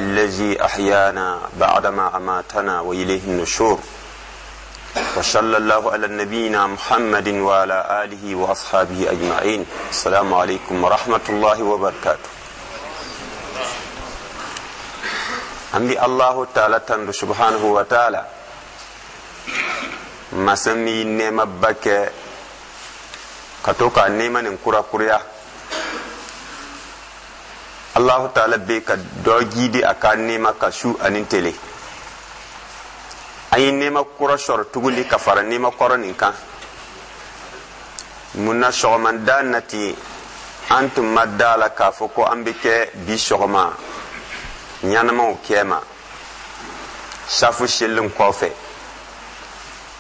الذي أحيانا بعدما أماتنا وإليه النشور. وصلى الله على نبينا محمد وعلى آله وأصحابه أجمعين. السلام عليكم ورحمة الله وبركاته. An bi Allahu Taala tandu subhanahu wa taala, masa min nɛɛmaba kɛ ka to ka nɛɛma nin kurakuraya. Allahu Taala bɛ ka dɔ jidi a ka nɛɛma ka su ani tele. An ye nɛɛma kura sɔrɔ tuguni ka fara nɛɛma kɔrɔ nin kan. Mun na sɔgɔmada na ten, an tun ma da la k'a fɔ ko an bɛ kɛ bi sɔgɔma ɲanamaw kɛma safu selen kɔfɛ.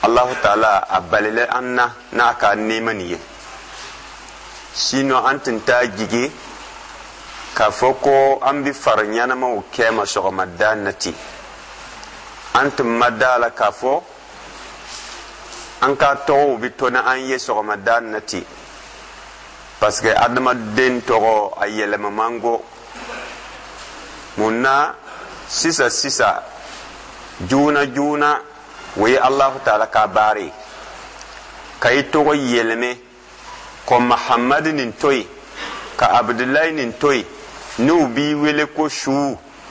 Allahu Taala a balila an na n'a ka nɛɛma nin ye. Sinon an tun t'a jigi k'a fɔ ko an bɛ fara ɲanamaw kɛma sɔgɔmada na ten. An tun ma da la k'a fɔ an ka tɔgɔw bɛ to ni an ye sɔgɔmada na ten, parce que adamaden tɔgɔ a yɛlɛma man go. Mun na sisan sisan, joona joona, o ye Alahu Taala ka baara ye ka i tɔgɔ yɛlɛmɛ ko Mahamadu nin to yen, ka Abudulayi nin to yen, n'u b'i wele ko su,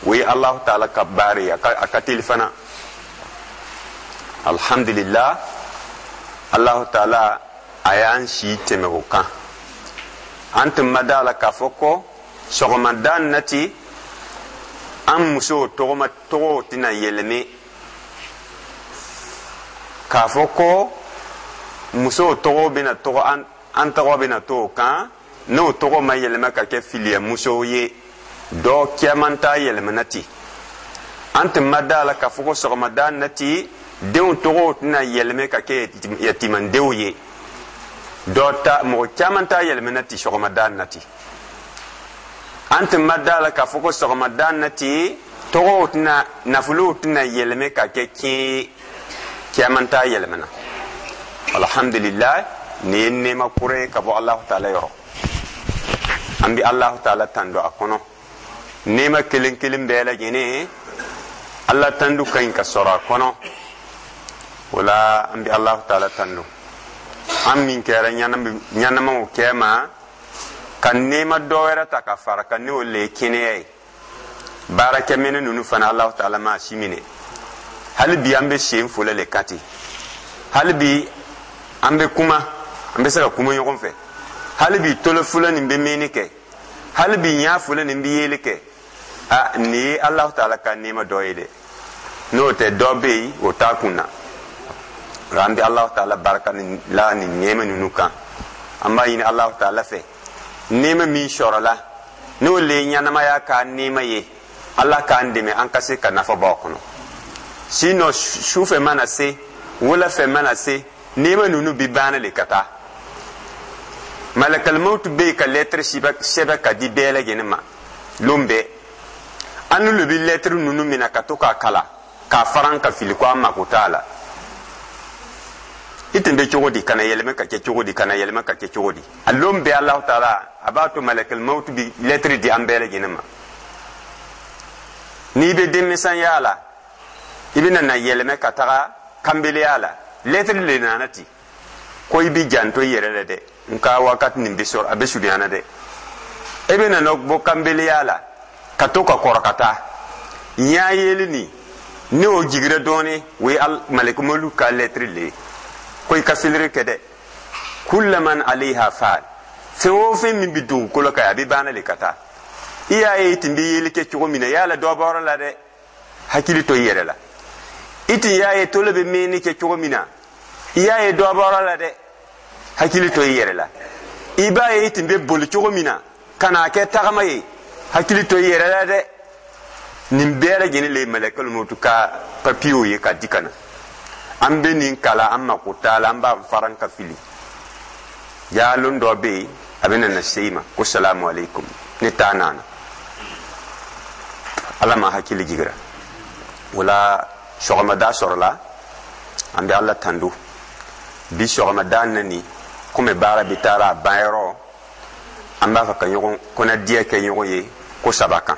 o ye Alahu Taala ka baara ye. A ka teli fana. Alhamdulillah, Alahu Taala a y'an si tɛmɛ o kan. An tun ma da la k'a fɔ ko sɔgɔmada nati an musow tɔgɔma tɔgɔw tɛna yɛlɛmɛ, k'a fɔ ko musow tɔgɔ bɛna tɔgɔ an tɔgɔ bɛna to o kan, n'o tɔgɔ ma yɛlɛma ka kɛ filiya musow ye. Dɔ caman t'a yɛlɛmana ten. An tun ma da la k'a fɔ ko sɔgɔmada nati denw tɔgɔw tɛna yɛlɛmɛ ka kɛ yatimandenw ye. Dɔ ta, mɔgɔ caman t'a yɛlɛmana ten sɔgɔmada nati. An tun ma da la k'a fɔ ko sɔgɔmada nati tɔgɔw tɛna, nafolow tɛna yɛlɛmɛ ka kɛ tiɲɛ ye. Caman t'a yɛlɛmana. Alhamdulillah, nin ye nɛɛma kura ye ka bɔ Alahu Taala yɔrɔ. An bɛ Alahu Taala tando a kɔnɔ nɛɛma kelen kelen bɛɛ lajɛlen. Ala tandu ka ɲi ka sɔrɔ a kɔnɔ. O la an bɛ Alahu Taala tando, an min kɛra ɲanamaw kɛma ka nɛɛma dɔ wɛrɛ ta ka fara kan, n'o le ye kɛnɛya ye. Baarakɛminɛ ninnu fana, Alahu Taala m'a si minɛ. Hali bi an bɛ sen fɔlɔ le kan ten. Hali bi an bɛ kuma, an bɛ se ka kuma ɲɔgɔn fɛ. Hali bi tolo fɔlɔ nin bɛ mɛnni kɛ. Hali bi ɲa fɔlɔ nin bɛ yeli kɛ. A nin ye Alahu Taala ka nɛɛma dɔ ye dɛ. N'o tɛ, dɔ bɛ yen o t'a kun na. Nka an bɛ Alahu Taala barika la nin nɛɛma ninnu kan. An b'a ɲini Alahu Taala fɛ, nɛɛma min sɔrɔla, n'o le ye ɲɛnamaya ka nɛɛma ye, Ala k'an dɛmɛ an ka se ka nafa bɔ a kɔnɔ. Sinon sufɛ mana se, wulafɛ mana se, nɛɛma ninnu bi banna le ka taa. Malakalimawutu bɛ yen ka lɛtiri sɛbɛn ka di bɛɛ lajɛlen ma lon bɛɛ. An n'olu bɛ lɛtiri ninnu minɛ ka to k'a kalan k'a faran ka fili ko an mako t'a la. I tun bɛ cogo di ka na yɛlɛmɛ ka kɛ cogo di, ka na yɛlɛmɛ ka kɛ cogo di? A lon bɛɛ, Alahu Taala a b'a to malakalimawutu bɛ lɛtiri di an bɛɛ lajɛlen ma. N'i bɛ denmisɛnya la, i bɛna na yɛlɛmɛ ka taga kanbeleya la, lɛtiri le nana ten ko i bɛ janto i yɛrɛ la dɛ, nka wakati nin bɛ sɔrɔ a bɛ surunyana dɛ. E bɛ na bɔ kanbeleya la ka to ka kɔrɔ ka taa ɲa yeli nin, ni o jigira dɔɔnin, o ye malɛkɛmɔlu ka lɛtiri le ye ko i ka filiri kɛ dɛ. Kullaman alayha fan, fɛn o fɛn min bɛ dugukolo kan, a bɛ banna le ka taa. I y'a ye i tun bɛ yeli kɛ cogo min na, yala dɔ bɔra la dɛ, hakili to i yɛrɛ la. I tun y'a ye tolo bɛ mɛnni kɛ cogo min na, i y'a ye dɔ bɔra la dɛ, hakili to i yɛrɛ la. I b'a ye i tun bɛ boli cogo min na ka n'a kɛ tagama ye, hakili to i yɛrɛ la dɛ. Nin bɛɛ lajɛlen le ye malɛkɛlu motu ka papiyew ye ka di ka na. An bɛ nin kalan, an mako t'a la, an b'a faran ka fili. Jaalon dɔ bɛ yen, a bɛ na se i ma ko salamu aleykum, ne taa nana. Ala ma hakili jigira o la. Sɔgɔmada sɔrɔla, an bɛ Ala tando. Bi sɔgɔmada nani komi baara bɛ taara a banyɔrɔ, an b'a fɛ ka ɲɔgɔn kɔnɔdiya kɛ ɲɔgɔn ye ko saba kan.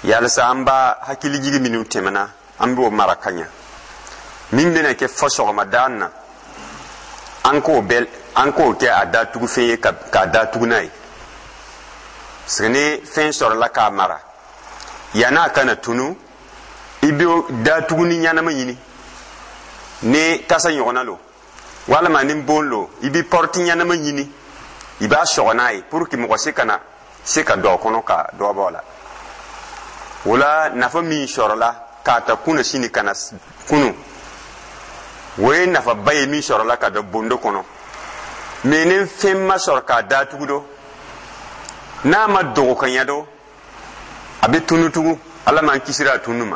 Yalisa an b'a hakilijigi minnu tɛmɛna, an b'o mara ka ɲa. Min bɛna kɛ fɔ sɔgɔmada na, an k'o bɛɛ, an k'o kɛ a datugufɛn ye k'a datugu n'a ye, parce que ni fɛn sɔrɔla k'a mara, yann'a kana tunu, i bɛ datuguni ɲɛnama ɲini. Ni tasa ɲɔgɔnna lo walima ni bon lo, i bɛ porte ɲɛnama ɲini, i b'a sɔgɔ n'a ye pour que mɔgɔ si kana se ka don a kɔnɔ ka dɔ bɔ a la. O la, nafa min sɔrɔla k'a ta kunna sini ka na kunu, o ye nafaba ye min sɔrɔla ka don bondo kɔnɔ. Mais ni fɛn ma sɔrɔ k'a datugu do, n'a ma dogo ka ɲɛ do, a bɛ tunu tugun. Ala m'an kisira a tunu ma.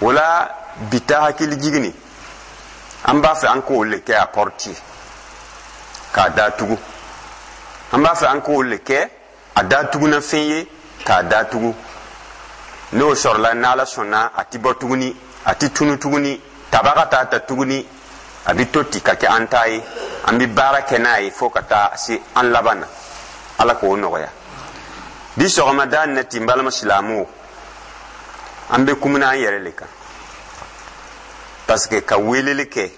O la, bi ta hakili jigini, an b'a fɛ an k'o le kɛ a porte k'a datugu. An b'a fɛ an k'o le kɛ a datuguna fɛn ye k'a datugu. N'o sɔrɔla, n'Ala sɔnna, a ti bɔ tuguni, a ti tunu tuguni, tabaga t'a ta tuguni. A bɛ to ten ka kɛ an ta ye, an bɛ baara kɛ n'a ye fo ka taa se an laban na. Ala k'o nɔgɔya. Bi sɔgɔmada na ten, balima silamɛw, an bɛ kumuna an yɛrɛ le kan, parce que ka weleli kɛ,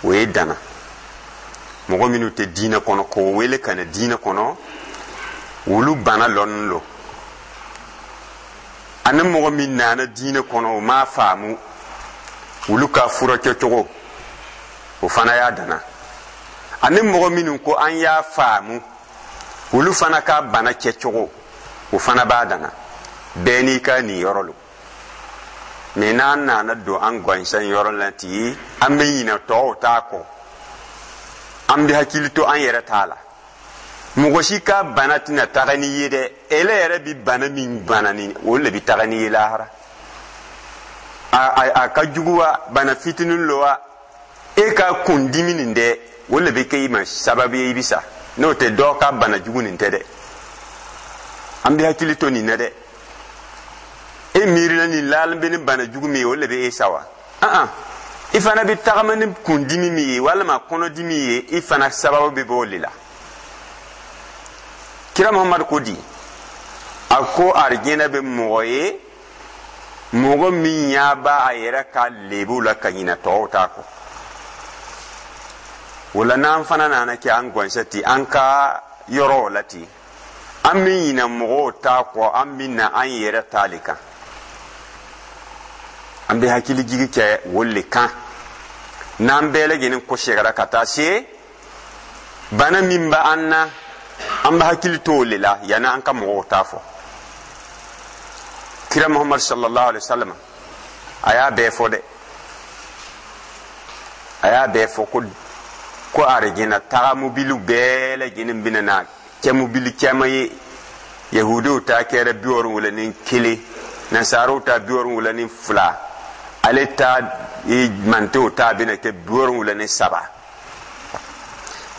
o ye dana. Mɔgɔ minnu tɛ diinɛ kɔnɔ, k'o wele ka na diinɛ kɔnɔ, olu bana lɔnni lo. Ani mɔgɔ min nana diinɛ kɔnɔ, o m'a faamu, olu ka furakɛcogo, o fana y'a dana. Ani mɔgɔ minnu ko an y'a faamu, olu fana ka bana kɛcogo, o fana b'a dana. Bɛɛ n'i ka nin yɔrɔ lo. Mais n'an nana don an gansan yɔrɔ la ten, an bɛ ɲinɛ tɔw t'a kɔ, an bɛ hakili to an yɛrɛ t'a la. Mɔgɔ si ka bana tɛna taga n'i ye dɛ. Ele yɛrɛ bi bana min bana ni o le bi taga n'i ye lahara. A ka jugu wa, bana fitinin lo wa, e ka kundimi nin dɛ, o le bɛ kɛ i ma sababu ye i bi sa. N'o tɛ, dɔ ka bana jugu nin tɛ dɛ. An bɛ hakili to nin na dɛ. E miirila nin laalen bɛ ni bana jugu min ye, o le bɛ e sa wa? An i fana bɛ tagama ni kundimi min ye walima kɔnɔdimi ye, i fana sababu bɛ bɔ o de la. Kira Muhamadu ko di, a ko arijinɛ bɛ mɔgɔ ye, mɔgɔ min ɲa b'a a yɛrɛ ka lebu la ka ɲinɛ tɔw ta kɔ. O la, n'an fana nana kɛ an gɔnsɛ ten an ka yɔrɔw la ten, an bɛ ɲinɛ mɔgɔw ta kɔ, an bɛ na an yɛrɛ ta le kan. An bɛ hakili jigi kɛ o le kan. N'an bɛɛ lajɛlen kɔsegira ka taa se bana min bɛ an na, an bɛ hakili to o le la yanni an ka mɔgɔw ta fɔ. Kira Muhammad sallallahu alaihi wa sallam, a y'a bɛɛ fɔ dɛ. A y'a bɛɛ fɔ ko arijina taga mobiliw bɛɛ lajɛlen bɛna na kɛ mobili caman ye. Yahudiw ta kɛra 71, nasaraw ta 72, ale ta mantew ta bɛna kɛ 73.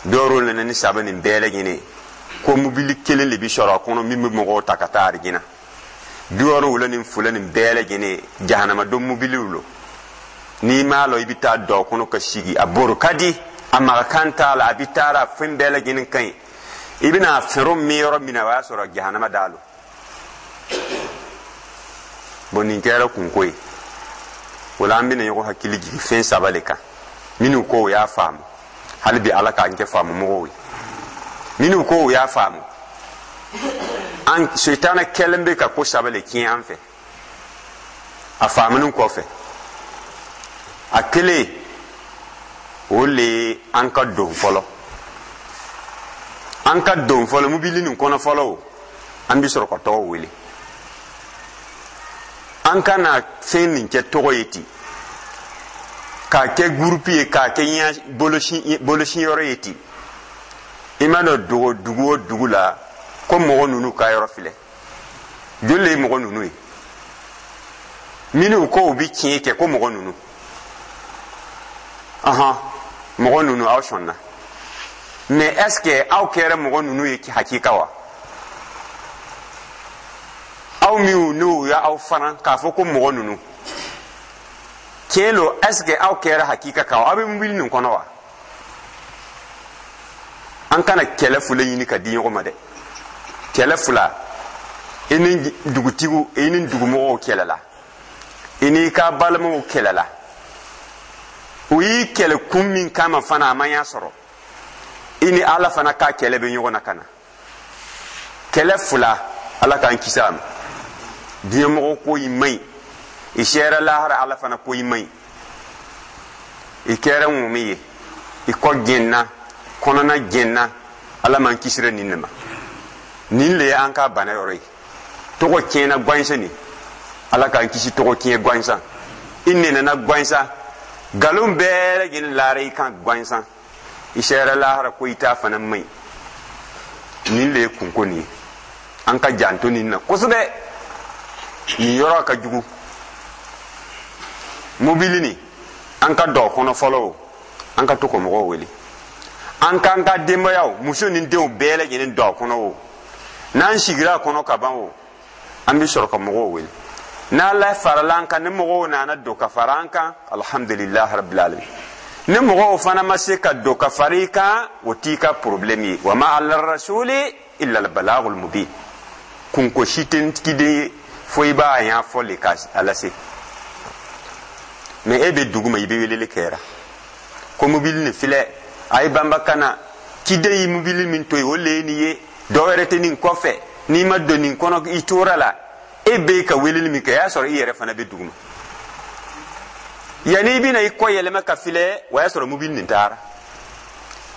73 nin bɛɛ lajɛlen ko mobili kelen de bi sɔrɔ a kɔnɔ min bɛ mɔgɔw ta ka taa arijina. 72 nin bɛɛ lajɛlen, jahanama don mobiliw lo. N'i m'a lɔ, i bɛ taa don a kɔnɔ ka sigi. A boro ka di, a magakan t'a la, a bɛ taara fɛn bɛɛ lajɛlen ka ɲi. I bɛna fɛrɛ min yɔrɔ min na, o y'a sɔrɔ jahanama da lo. Bon, nin kɛra kunko ye. O la, an bɛna ɲɔgɔn hakili jigin fɛn saba le kan. Minnu ko o y'a faamu, hali bi Ala k'an kɛ faamu mɔgɔw ye. Minnu ko o y'a faamu, an sitana kɛlen bɛ ka ko saba le tiɲɛ an fɛ a faamuni kɔfɛ. A kelen, o le ye an ka don fɔlɔ, an ka don fɔlɔ mobili nin kɔnɔ fɔlɔ. O an bɛ sɔrɔ ka tɔgɔ wele. An kana fɛn nin kɛ tɔgɔ ye ten, k'a kɛ groupe ye, k'a kɛ bolosiyɔrɔ ye ten. I ma dɔn dogo dugu o dugu la ko mɔgɔ ninnu ka yɔrɔ filɛ. Joli le ye mɔgɔ ninnu ye minnu ko u bi tiɲɛ kɛ ko mɔgɔ ninnu? Ahan, mɔgɔ ninnu, aw sɔnna, mais est ce que aw kɛra mɔgɔ ninnu ye hakika wa? Aw minnu n'u y'aw fana k'a fɔ ko mɔgɔ ninnu tiɲɛ lo, est ce que aw kɛra hakika kan? Aw bɛ mobili nin kɔnɔ wa? An kana kɛlɛ fila ɲini ka di ɲɔgɔn ma dɛ. Kɛlɛ fila, i I ni dugutigiw, i ni dugumɔgɔw kɛlɛla, i n'i ka balimaw kɛlɛla. U y'i kɛlɛ kun min kama fana, a ma ɲa sɔrɔ. I ni Ala fana ka kɛlɛ bɛ ɲɔgɔn na ka na kɛlɛ fila. Ala k'an kisi a ma. Diɲɛmɔgɔ ko i man ɲi, i sera lahara, Ala fana ko i man ɲi. I kɛra ŋumi ye, i kɔ gɛnna, kɔnɔna gɛnna. Ala m'an kisira nin de ma. Nin le ye an ka bana yɔrɔ ye. Tɔgɔ tiɲɛna gansan nin, Ala k'an kisi tɔgɔ tiɲɛ gansan. I nɛnɛna gansan, nkalon bɛɛ lajɛlen laara i kan gansan. I sera lahara, ko i t'a fana man ɲi. Nin le ye kunko nin ye. An ka janto nin na kosɛbɛ. Nin yɔrɔ ka jugu. Mobili nin, an ka dɔ kɔnɔ fɔlɔ o, an ka to ka mɔgɔw wele. An k'an ka denbayaw, muso ni denw bɛɛ lajɛlen don a kɔnɔ o. N'an sigira a kɔnɔ ka ban o, an bɛ sɔrɔ ka mɔgɔw wele. N'Ala farala an kan, ni mɔgɔw nana don ka fara an kan, alhamdulilah rabbil alamin. Ni mɔgɔw fana ma se ka don ka fara i kan, o t'i ka problème ye. Wa ma ala rasuli illa al balagul mubin. Kunko si tɛ kiden ye fo i b'a ɲa fɔ le ka a lase. Mais e bɛ dugu ma, i bɛ weleli kɛra ko mobili nin filɛ, a ye banba ka na. Ciden ye mobili min to yen, o le ye nin ye, dɔ wɛrɛ tɛ nin kɔfɛ. N'i ma don nin kɔnɔ, i tora la. E bɛ ka weleli min kɛ, o y'a sɔrɔ i yɛrɛ fana bɛ dugu ma. Yanni i bɛna i kɔ yɛlɛma ka filɛ, o y'a sɔrɔ mobili nin taara.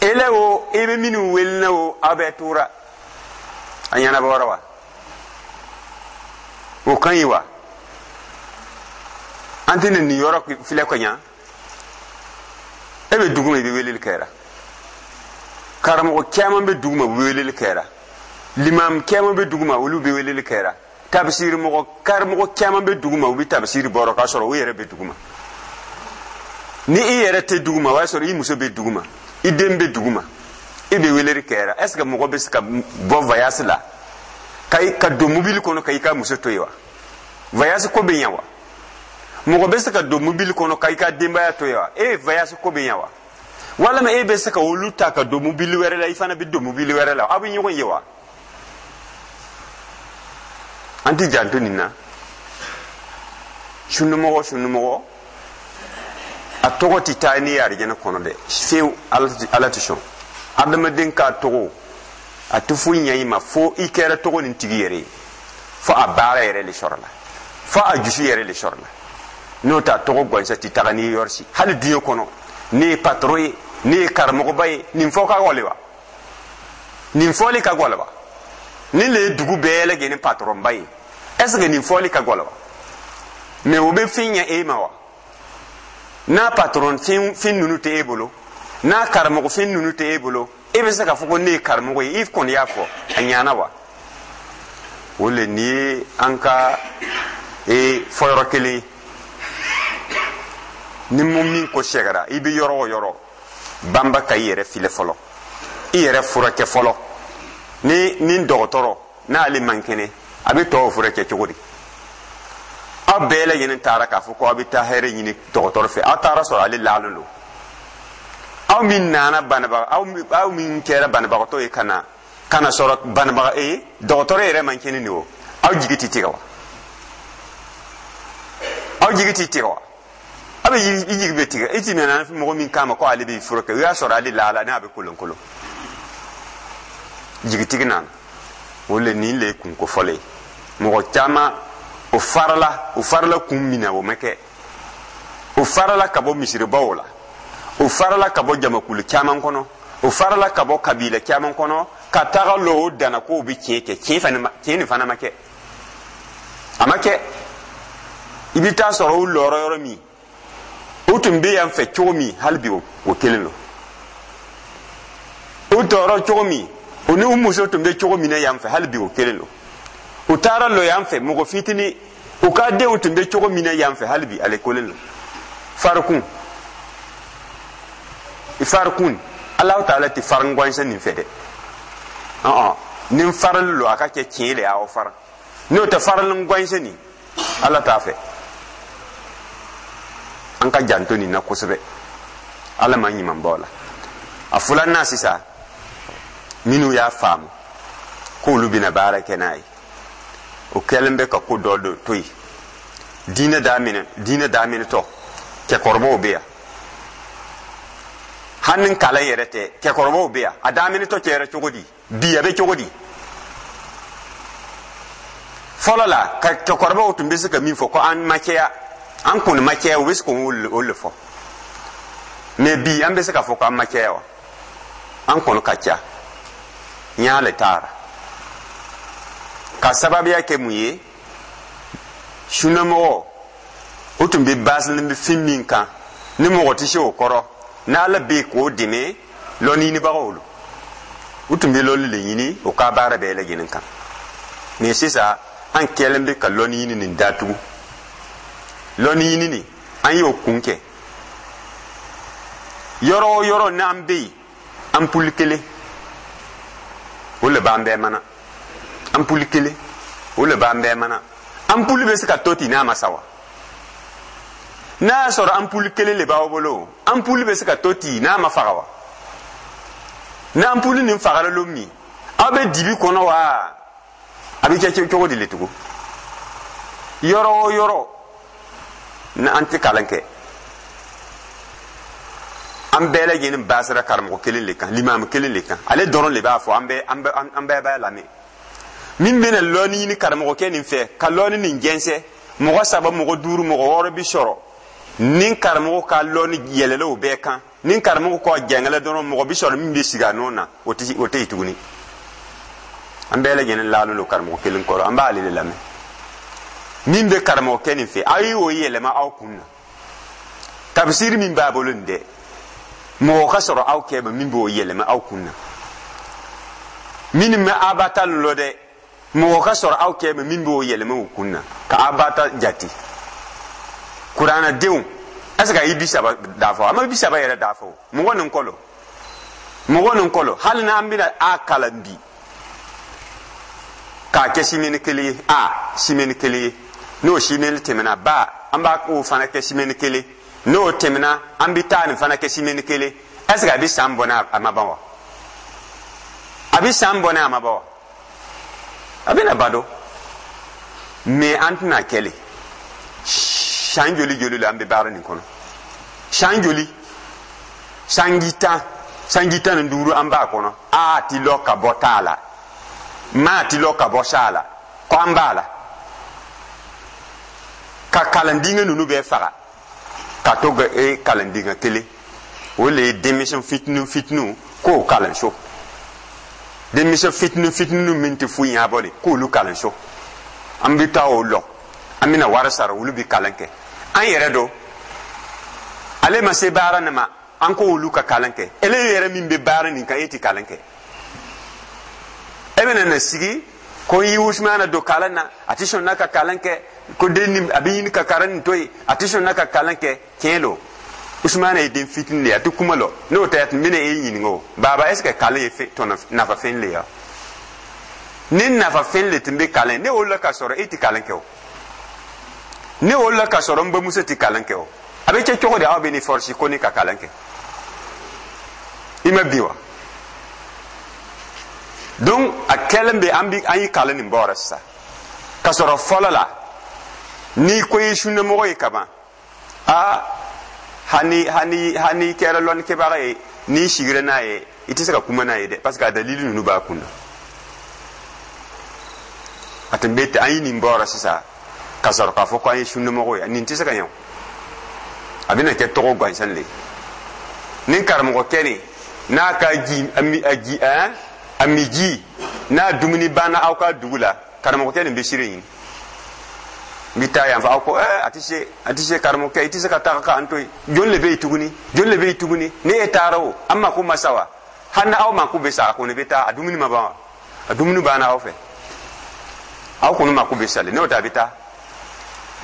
E la o, i bɛ minnu wele na o, aw bɛɛ tora. A ɲɛnabɔra wa? O ka ɲi wa? An tɛ nin yɔrɔ filɛ ka ɲa. E bɛ dugu ma, i bɛ weleli kɛra. Karamɔgɔ caman bɛ dugu ma, u bɛ weleli kɛra. Limam caman bɛ dugu ma, olu bɛ weleli kɛra. Tabisiri mɔgɔ, karamɔgɔ caman bɛ dugu ma, u bɛ tabisiri bɔrɔ k'a sɔrɔ u yɛrɛ bɛ dugu ma. Ni i yɛrɛ tɛ dugu ma, o y'a sɔrɔ i muso bɛ dugu ma, i den bɛ dugu ma, i bɛ weleli kɛra. Est ce que mɔgɔ bɛ se ka bɔ voyage la ka don mobili kɔnɔ ka i ka muso to yen wa? Voyage ko bɛ ɲɛ wa? Mɔgɔ bɛ se ka don mobili kɔnɔ ka i ka denbaya to yen wa? E ye voyage ko bɛ ɲɛ wa? Walima e bɛ se ka olu ta ka don mobili wɛrɛ la, i fana bɛ don mobili wɛrɛ la, aw bɛ ɲɔgɔn ye wa? An tɛ janto nin na. Sunumɔgɔ, sunumɔgɔ, a tɔgɔ tɛ taa n'i ye arijɛnɛ kɔnɔ dɛ, fewu. Ala tɛ sɔn adamaden k'a tɔgɔ. A tɛ foyi ɲɛ i ma fo i kɛra tɔgɔ nin tigi yɛrɛ ye, fo a baara yɛrɛ de sɔrɔla, fo a dusu yɛrɛ de sɔrɔla. N'o tɛ, a tɔgɔ gansan tɛ taga n'i ye yɔrɔ si, hali diɲɛ kɔnɔ. Ne ye patron ye, ne ye karamɔgɔba ye, nin fɔ ka gɔlɛn wa? Nin fɔli ka gɔlɛn wa? Nin le ye dugu bɛɛ lajɛlen patronba ye, est ce que nin fɔli ka gɔlɛn wa? Mais o bɛ fɛn ɲɛ e ma wa? N'a patron fɛn ninnu tɛ e bolo, n'a karamɔgɔ fɛn ninnu tɛ e bolo, e bɛ se k'a fɔ ko ne ye karamɔgɔ ye? I kɔni y'a fɔ, a ɲana wa? O le nin ye an ka e fɔyɔrɔ kelen ye. Ni mun min ko sɛgɛra, i bɛ yɔrɔ o yɔrɔ, banba ka i yɛrɛ filɛ fɔlɔ, i yɛrɛ furakɛ fɔlɔ. Ni dɔgɔtɔrɔ n'ale man kɛnɛ, a bɛ tɔw furakɛ cogo di? Aw bɛɛ lajɛlen taara k'a fɔ ko aw bɛ taa hɛrɛ ɲini dɔgɔtɔrɔ fɛ, aw taara sɔrɔ ale laalen don. Aw min nana banabaga, aw min kɛra banabagatɔ ye ka na sɔrɔ banabaga e dɔgɔtɔrɔ yɛrɛ man kɛnɛ nin o, aw jigi tɛ tigɛ wa? Aw jigi tɛ tigɛ wa? A bɛ i jigi bɛ tigɛ. I ti nana mɔgɔ min kama ko ale b'i furakɛ, o y'a sɔrɔ ale laala n'a bɛ kolonkolon, jigitigi nana. O le nin le ye kunko fɔlɔ ye. Mɔgɔ caman o farala, o farala kun min na, o ma kɛ. O farala ka bɔ misiribaw la, o farala ka bɔ jamakulu caman kɔnɔ, o farala ka bɔ kabila caman kɔnɔ ka taga lɔ o danna k'o bɛ tiɲɛ kɛ. Tiɲɛ fana ma, tiɲɛ nin fana ma kɛ, a ma kɛ. I bɛ taa sɔrɔ o lɔrɔ yɔrɔ min, o tun bɛ yan fɛ cogo min, hali bi o kelen don. O tɔɔrɔ cogo min, o ni u muso tun bɛ cogo min na yan fɛ, hali bi o kelen don. U taara lɔ yan fɛ mɔgɔ fitinin, u ka denw tun bɛ cogo min na yan fɛ, hali bi ale kelen don. Farikun, farikun, Alahu taala tɛ farin gansan nin fɛ dɛ. Ɔn, ni farali lo, a ka kɛ tiɲɛ le y'aw fara. N'o tɛ, farali gansan nin, Ala t'a fɛ. An ka janto nin na kosɛbɛ. Ala ma ɲuman bɔ la. A filanan sisan, minnu y'a faamu k'olu bɛna baara kɛ n'a ye, O kɛlen bɛ ka ko dɔ de to yen. Diinɛ daminɛ, diinɛ daminɛtɔ, cɛkɔrɔbaw bɛ yan. Hali ni kalan yɛrɛ tɛ, cɛkɔrɔbaw bɛ yan. A daminɛtɔ kɛra cogo di? Bi a bɛ cogo di? Fɔlɔ la, ka cɛkɔrɔbaw tun bɛ se ka min fɔ ko an ma caya, an kɔni ma caya, u bɛ se k'o le fɔ. Mais bi, an bɛ se k'a fɔ k'an ma caya wa? An kɔni ka ca. N y'ale taara ka sababuya kɛ mun ye? Sunamɔgɔ o tun bɛ baasilen bɛ fɛn min kan, ni mɔgɔ tɛ se o kɔrɔ, n'Ala bɛ yen k'o dɛmɛ, lɔnni ɲinibagaw lo. U tun bɛ lɔnni le ɲini o ka baara bɛɛ lajɛlen kan. Mais sisan, an kɛlen bɛ ka lɔnni ɲini nin datugu. Lɔnni ɲini nin, an y'o kun kɛ. Yɔrɔ o yɔrɔ n'an bɛ yen, anpuli kelen o le b'an bɛɛ mana. Anpuli kelen o le b'an bɛɛ mana. Anpuli bɛ se ka to ten n'a ma sa wa? N'a y'a sɔrɔ anpuli kelen le b'aw bolo, anpuli bɛ se ka to ten n'a ma faga wa? Ni anpuli nin fagara lon min, aw bɛ dibi kɔnɔ wa? A bɛ kɛ cogo di le tugun? Yɔrɔ o yɔrɔ ni an tɛ kalan kɛ, an bɛɛ lajɛlen basira karamɔgɔ kelen le kan, limamu kelen le kan. Ale dɔrɔn le b'a fɔ, an bɛɛ b'a lamɛn. Min bɛna lɔnni ɲini karamɔgɔkɛ nin fɛ ka lɔnni nin jɛnsɛn, mɔgɔ saba, mɔgɔ duuru, mɔgɔ wɔɔrɔ bi sɔrɔ. Ni karamɔgɔ ka lɔnni yɛlɛla o bɛɛ kan, ni karamɔgɔ ka jɛngɛlɛ dɔrɔn, mɔgɔ bi sɔrɔ min bɛ sigi a nɔ na, o tɛ o tɛ yen tuguni. An bɛɛ lajɛlen lalen don karamɔgɔ kelen kɔrɔ, an b'ale de lamɛn. Min bɛ karamɔgɔkɛ nin fɛ, aw y'o yɛlɛma aw kun na. Tabisiri min b'a bolo nin dɛ, mɔgɔ ka sɔrɔ aw kɛ min b'o yɛlɛma aw kun na. Minnu bɛ abata lɔ dɛ, mɔgɔ ka sɔrɔ aw kɛ min b'o yɛlɛma u kun na ka abata jate. Kuranadenw, est ce que a ye 30 dafa? A ma 30 yɛrɛ dafa o. Mɔgɔ nin kɔlɔ, mɔgɔ nin kɔlɔ, hali n'an bɛna a kalan bi k'a kɛ simɛni kelen ye, a simɛni kelen ye, n'o simɛni tɛmɛna, ba an b'a k'o fana kɛ simɛni kelen, n'o tɛmɛna, an bɛ taa nin fana kɛ simɛni kelen. Est ce que a bɛ san bɔ n'a a ma ban wa? A bɛ san bɔ n'a a ma ban wa? A bɛna ba dɔn. Mais an tɛna kɛ le. San joli joli la an bɛ baara nin kɔnɔ? San joli? Sanji 10, sanji 15 an b'a kɔnɔ. A ti lɔ ka bɔ t'a la, maa ti lɔ ka bɔ sa la, ko an b'a la ka kalandiŋɛ ninnu bɛɛ faga ka to ka e kalandiŋɛ kelen. O le ye denmisɛn fitinin fitininw k'o kalanso. Denmisɛn fitinin fitinin min tɛ foyi ɲɛbɔ de, k'olu kalanso. An bɛ taa o lɔ, an bɛna wari sara, olu bɛ kalan kɛ. An yɛrɛ don, ale ma se baara nin ma, an k'olu ka kalan kɛ. Ele yɛrɛ min bɛ baara nin kan, e tɛ kalan kɛ. E bɛna na sigi ko i Usumana don kalan na, a tɛ sɔn n'a ka kalan kɛ, ko den nin a bɛ ɲini ka kalan nin to yen, a tɛ sɔn n'a ka kalan kɛ. Tiɲɛ don, Usumana ye den fitinin de ye, a tɛ kuma lɔ. N'o tɛ, a tun bɛna e ɲininka o: "Baba, est ce que kalan ye fɛn tɔnɔ nafa fɛn le ye wa?" Ni nafa fɛn le tun bɛ kalan, ne wolola ka sɔrɔ e tɛ kalan kɛ o. Ne wolola ka sɔrɔ n bamuso tɛ kalan kɛ o. A bɛ kɛ cogo di aw bɛ ne force ko ne ka kalan kɛ? I ma bi wa? Donc a kɛlen bɛ an bi an ye kalan nin bɔra sisan. Ka sɔrɔ fɔlɔ la, n'i ko i ye sunnamɔgɔ ye kaban, aa, hani hani hani kɛra lɔnnikɛbaga ye, n'i sigira n'a ye, i tɛ se ka kuma n'a ye dɛ, parce que a dalili ninnu b'a kun na. A tun bɛ ten. An ye nin bɔra sisan ka sɔrɔ k'a fɔ ko an ye sunnamɔgɔ ye, nin tɛ se ka ɲɛ o. A bɛna kɛ tɔgɔ gansan le ye. Ni karamɔgɔkɛ nin n'a ka ji a mi a ji ɛn a mi ji n'a dumuni banna aw ka dugu la, karamɔgɔkɛ nin bɛ sira ɲini, n bɛ taa yan fɛ. Aw ko ɛɛ, a tɛ se, a tɛ se. Karamɔgɔkɛ, i tɛ se ka taga k'an to yen. Jɔn le bɛ yen tuguni? Jɔn le bɛ yen tuguni? Ni e taara o, an mako ma sa wa? Hali ni aw mako bɛ sa, a kɔni bɛ taa. A dumuni ma ban wa? A dumuni banna aw fɛ, aw kɔni mako bɛ sale. N'o tɛ, a bɛ taa.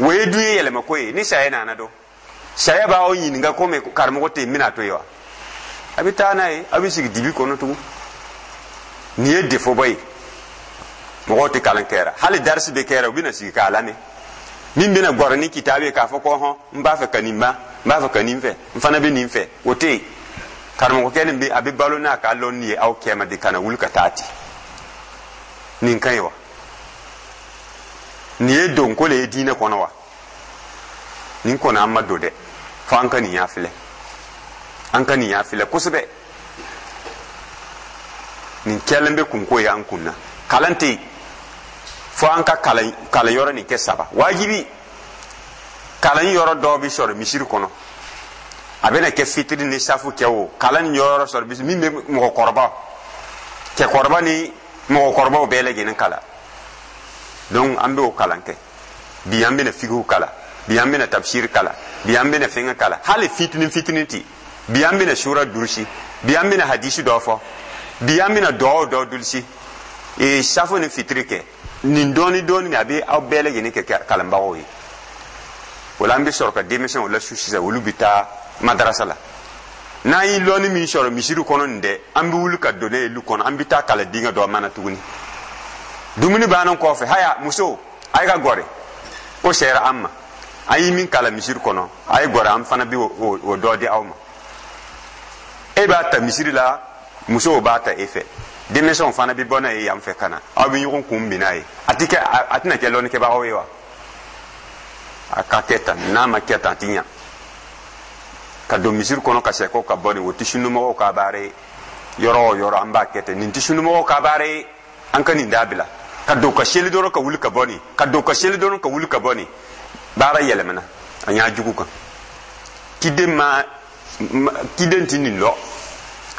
O ye dun ye yɛlɛma ko ye. Ni saya nana dɔn, saya b'aw ɲininka komi karamɔgɔ tɛ yen, n bɛna to yen wa? A bɛ taa n'a ye, aw bɛ sigi dibi kɔnɔ tugun. Nin ye defoba ye. Mɔgɔw tɛ kalan kɛra. Hali darisi bɛ kɛra, u bɛna sigi k'a lamɛn. Min bɛna gɔrɔ ni kitabu ye k'a fɔ ko hɔn, n b'a fɛ ka nin ban, n b'a fɛ ka nin fɛ, n fana bɛ nin fɛ, o tɛ yen. Karamɔgɔkɛ nin bɛ a bɛ balo n'a ka lɔnni ye aw kɛma de, ka na wuli ka taa ten. Nin ka ɲi wa? Nin ye donko le ye diinɛ kɔnɔ wa? Nin kɔni an ma don dɛ, fo an ka nin y'a filɛ, an ka nin y'a filɛ kosɛbɛ. Nin kɛlen bɛ kunko ye an kun na. Kalan tɛ yen, fo an ka kalan yɔrɔ nin kɛ saba wajibi. Kalan yɔrɔ dɔw bɛ sɔrɔ misiri kɔnɔ, a bɛna kɛ fitiri ni safu kɛ o kalan yɔrɔ sɔrɔ min bɛ mɔgɔkɔrɔba, cɛkɔrɔba ni mɔgɔkɔrɔbaw bɛɛ lajɛlen kalan. Donc an bɛ o kalan kɛ. Bi an bɛna fikihu kalan, bi an bɛna tafsir kalan, bi an bɛna fɛngɛ kalan, hali fitinin fitinin ti. Bi an bɛna sura durusi, bi an bɛna hadisi dɔ fɔ, bi an bɛna duwawu dɔ durusi, ee safo ni fitiri kɛ. Nin dɔɔni dɔɔni a bɛ aw bɛɛ lajɛlen kɛ kalanbagaw ye. O la an bɛ sɔrɔ ka denmisɛnw lasu sisan, olu bɛ taa madarasa la. N'an ye lɔnni min sɔrɔ misiri kɔnɔ nin dɛ, an bɛ wuli ka don ne ye lu kɔnɔ, an bɛ taa kalan denkɛ dɔ mana tuguni. Dumuni bannen kɔfɛ, haya muso, a ye ka gɔrɛ ko sera an ma, an ye min kalan misiri kɔnɔ, a ye gɔrɛ, an fana bɛ o dɔ di aw ma. E b'a ta misiri la, musow b'a ta e fɛ, denmisɛnw fana bɛ bɔ n'a ye yan fɛ ka na, aw bɛ ɲɔgɔn kun bin n'a ye. A ti kɛ, a tɛna kɛ lɔnnikɛbagaw ye wa? A ka kɛ tan, n'a ma kɛ tan a ti ɲa. Ka don misiri kɔnɔ ka sɛkɔ ka bɔ nin, o tɛ sunumɔgɔw ka baara ye. Yɔrɔ o yɔrɔ an b'a kɛ ten, nin tɛ sunumɔgɔw ka baara ye. An ka nin dabila, ka don ka seli dɔrɔn ka wuli ka bɔ nin, ka don ka seli dɔrɔn ka wuli ka bɔ nin. Baara yɛlɛmana a ɲa jugu kan. Kiden ma kiden ti nin lɔ,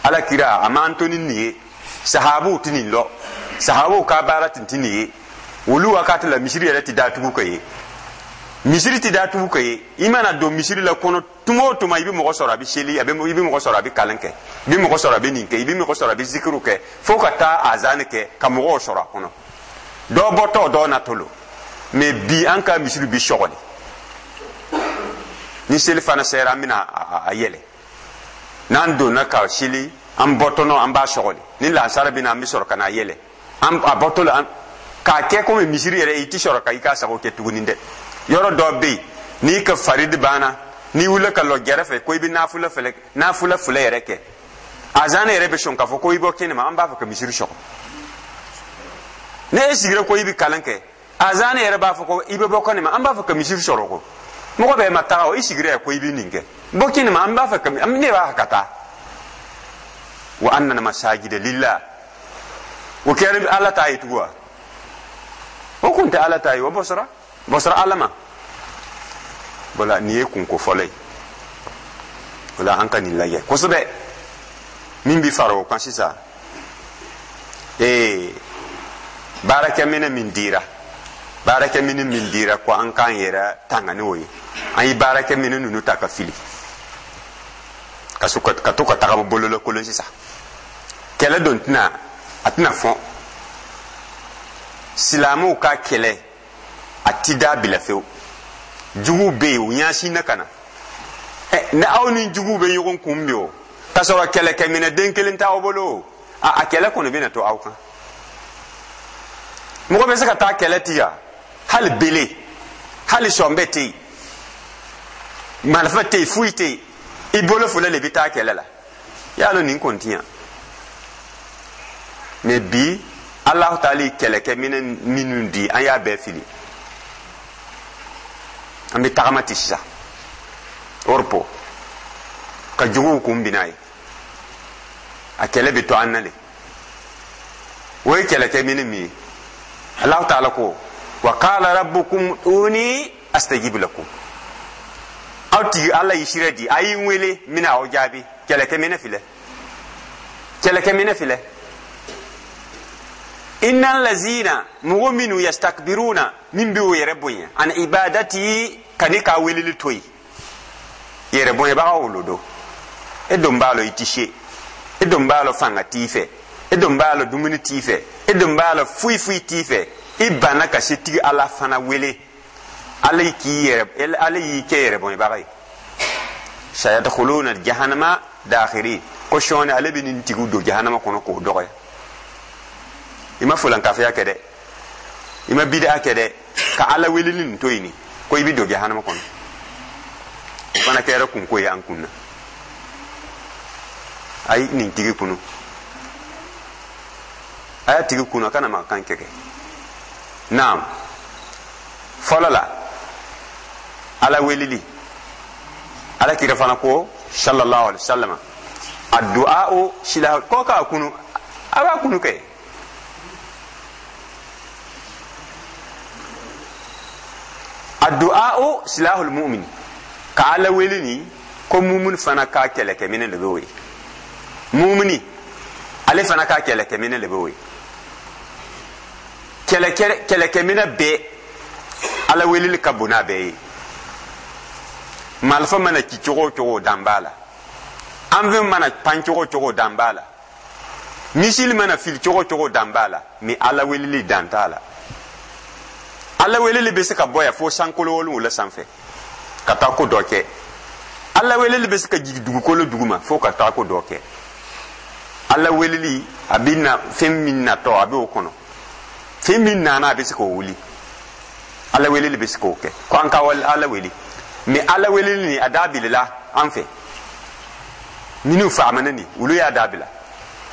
Ala kira a m'an to ni nin ye, sahabuw ti nin lɔ, sahabuw ka baara tun ti nin ye. Olu wakati la misiri yɛrɛ ti datugu ka ye, misiri ti datugu ka ye. I mana don misiri la kɔnɔ tuma o tuma, i bɛ mɔgɔ sɔrɔ a bɛ seli, a bɛ, i bɛ mɔgɔ sɔrɔ a bɛ kalan kɛ, i bɛ mɔgɔ sɔrɔ a bɛ nin kɛ, i bɛ mɔgɔ sɔrɔ a bɛ zikiru kɛ, fo ka taa azani kɛ ka mɔgɔw sɔrɔ a kɔnɔ. Dɔ bɔtɔ dɔ natɔ lo. Mɛ bi an ka misiri bi sɔgɔli, ni seli fana sera, an bɛna a yɛlɛ. N'an donna ka seli, an bɔtɔ nɔ an b'a sɔgɔli. Ni lansara bɛ na, an bɛ sɔrɔ ka n'a yɛlɛ. An a bɔtɔ la, k'a kɛ komi misiri yɛrɛ, i ti sɔrɔ ka i ka sago kɛ tuguni dɛ. Yɔrɔ dɔ bɛ yen, n'i ka faridi banna, n'i wulila ka lɔ gɛrɛfɛ ko i bɛ nafula fɛlɛ, nafula fila yɛrɛ kɛ, azan yɛrɛ bɛ sɔn k'a fɔ ko i bɔ kɛnɛma, an b'a fɛ ka misiri sɔgɔ. Ne e sigira ko i bɛ kalan kɛ, azan yɛrɛ b'a fɔ ko i bɛ bɔ kɛnɛma, an b'a fɛ ka misiri sɔrɔ. Ko mɔgɔ bɛɛ ma taga o, i sigira yan ko i bɛ nin kɛ, bɔ kɛnɛma, an b'a fɛ ka ne b'a fɛ ka taa. Wa anna masajida lillah, o kɛra Ala ta ye tugun wa? O kun tɛ Ala ta ye, o bɔsɔra bɔsɔra Ala ma. Wala nin ye kunko fɔlɔ ye. O la an ka nin lajɛ kosɛbɛ. Min bi fara o kan sisan, ee baarakɛminɛ min dira, baarakɛminɛ min dira ko an k'an yɛrɛ tanga n'o ye, an ye baarakɛminɛ ninnu ta ka fili ka to ka tagama bololakolon sisan. Kɛlɛ don tɛna, a tɛna fɔn. Silamɛw ka kɛlɛ a ti dabila fewu. Juguw bɛ yen, u ɲɛsin na ka na. Ɛ ni aw ni juguw bɛ ɲɔgɔn kun bi o, k'a sɔrɔ kɛlɛkɛminɛ den kelen t'aw bolo, a kɛlɛ kɔni bɛna to aw kan. Mɔgɔ bɛ se ka taa kɛlɛ ti yan, hali bele, hali sɔnbɛ tɛ yen, marifa tɛ yen, foyi tɛ yen, i bolo fila de bɛ taa kɛlɛ la. Y'a lɔn nin kɔni ti yan. Mɛ bi Alahu taala ye kɛlɛkɛminɛ minnu di, an y'a bɛɛ fili. An bɛ tagama ten sisan Europe ka juguw kun bin n'a ye, a kɛlɛ bɛ to an na le. O ye kɛlɛkɛminɛ min ye, Alahu taala ko wa qala rabbukum ud'uni astajib lakum. Aw tigi Ala y'i sira di, a y'i wele, n bɛna aw jaabi. Kɛlɛkɛminɛ filɛ, kɛlɛkɛminɛ filɛ. Innal lazina, mɔgɔ minnu yastakbiruna, min bɛ o yɛrɛ bonya, an ibadati, ka ne ka weleli to yen, yɛrɛ bonyabagaw olu don. E don b'a lɔ i ti se, e don b'a lɔ fanga t'i fɛ, e don b'a lɔ dumuni t'i fɛ, e don b'a lɔ foyi foyi t'i fɛ, i banna ka setigi Ala fana wele. Ala k'i yɛrɛ, Ala y'i kɛ yɛrɛ bonyabaga ye. Sayadkhuluna jahannama dakhirin, ko sɔɔni ale bɛ nin tigiw don jahanama kɔnɔ k'o dɔgɔya. I ma fulankafiya kɛ dɛ, i ma bida kɛ dɛ, ka Ala weleli nin to yen ko i bɛ don jahanama kɔnɔ. O fana kɛra kunko ye an kun na. A ye nin tigi kunu, a y'a tigi kunu, a kana mankan kɛ. Naam. Fɔlɔ la, Ala weleli, Ala kira fana ko sallallahu alaihi wasallam, addu'a o sila ko k'a kunu, a b'a kunu kɛ. Addu'a o silahul mu'min, ka Ala wele ni ko mumin fana ka kɛlɛkɛminɛ de bɛ o ye. Mumini ale fana ka kɛlɛkɛminɛ de bɛ o ye. Kɛlɛkɛminɛ bɛɛ, Ala weleli ka bon n'a bɛɛ ye. Marifa mana ci cogo o cogo, dan b'a la. Anfɛn mana pan cogo o cogo, dan b'a la. Misili mana fili cogo o cogo, dan b'a la. Mais Ala weleli, dan t'a la. Ala weleli bɛ se ka bɔ yan fo sankolo 7 sanfɛ ka taa ko dɔ kɛ. Ala weleli bɛ se ka jigin dugukolo duguma fo ka taa ko dɔ kɛ. Ala weleli, a bɛ na fɛn min natɔ, a bɛ o kɔnɔ. Fɛn min nana, a bɛ se k'o wuli. Ala weleli bɛ se k'o kɛ. Ko an ka Ala wele, mais Ala weleli nin, a dabilala an fɛ. Minnu faamana nin, olu y'a dabila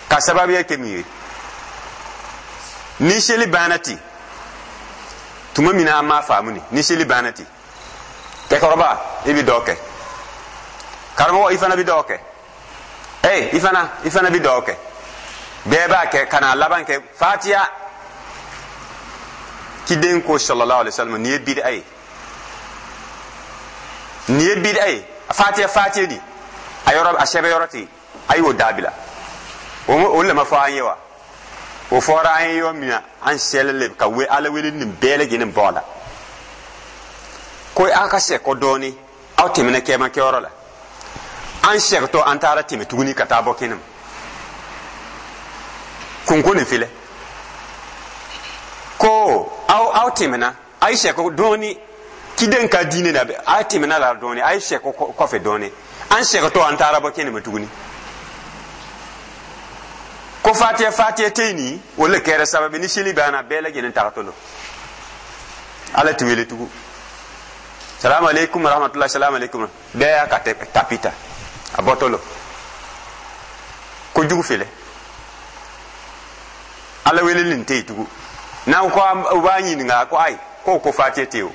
ka sababuya kɛ min ye, ni seli banna ten, tuma min na an m'a faamu nin, ni seli banna ten, cɛkɔrɔba, i bɛ dɔ kɛ, karamɔgɔ, i fana bɛ dɔ kɛ, ee, i fana bɛ dɔ kɛ, bɛɛ b'a kɛ ka n'a laban kɛ fatiya. Ciden ko sallallahu alaihi wasallam, nin ye bid'a ye, nin ye bid'a ye. Fatiya, fatiya di a yɔrɔ, a sɛbɛn yɔrɔ ten, a y'o dabila. O le ma fɔ an ye wa? O fɔra an ye yɔrɔ min na, an sɛlɛ le ka we Ala wele nin bɛɛ lajɛlen bɔ a la. Ko aw ka sɛkɔ dɔɔni, aw tɛmɛna kɛma kɛyɔrɔ la, an sɛgɛtɔ, an taara tɛmɛ tuguni ka taa bɔ kɛnɛ ma. Kunko nin filɛ ko aw tɛmɛna, a ye sɛkɔ dɔɔni, ciden ka diinɛ na, a tɛmɛna la dɔɔni, a ye sɛkɔ kɔfɛ dɔɔni, an sɛgɛtɔ, an taara bɔ kɛnɛ ma tuguni. Ko fatiya, fatiya tɛ yen nin, o le kɛra sababu ni seli banna, bɛɛ lajɛlen tagatɔ don, Ala ti wele tugun. Salamu aleykum rahmatulah, salamu aleykum, bɛɛ y'a ka tapi ta, a bɔtɔ lo. Kojugu filɛ, Ala weleli nin tɛ yen tugun. N'aw ko u b'a ɲininka ko ayi, ko fatiya tɛ yen o,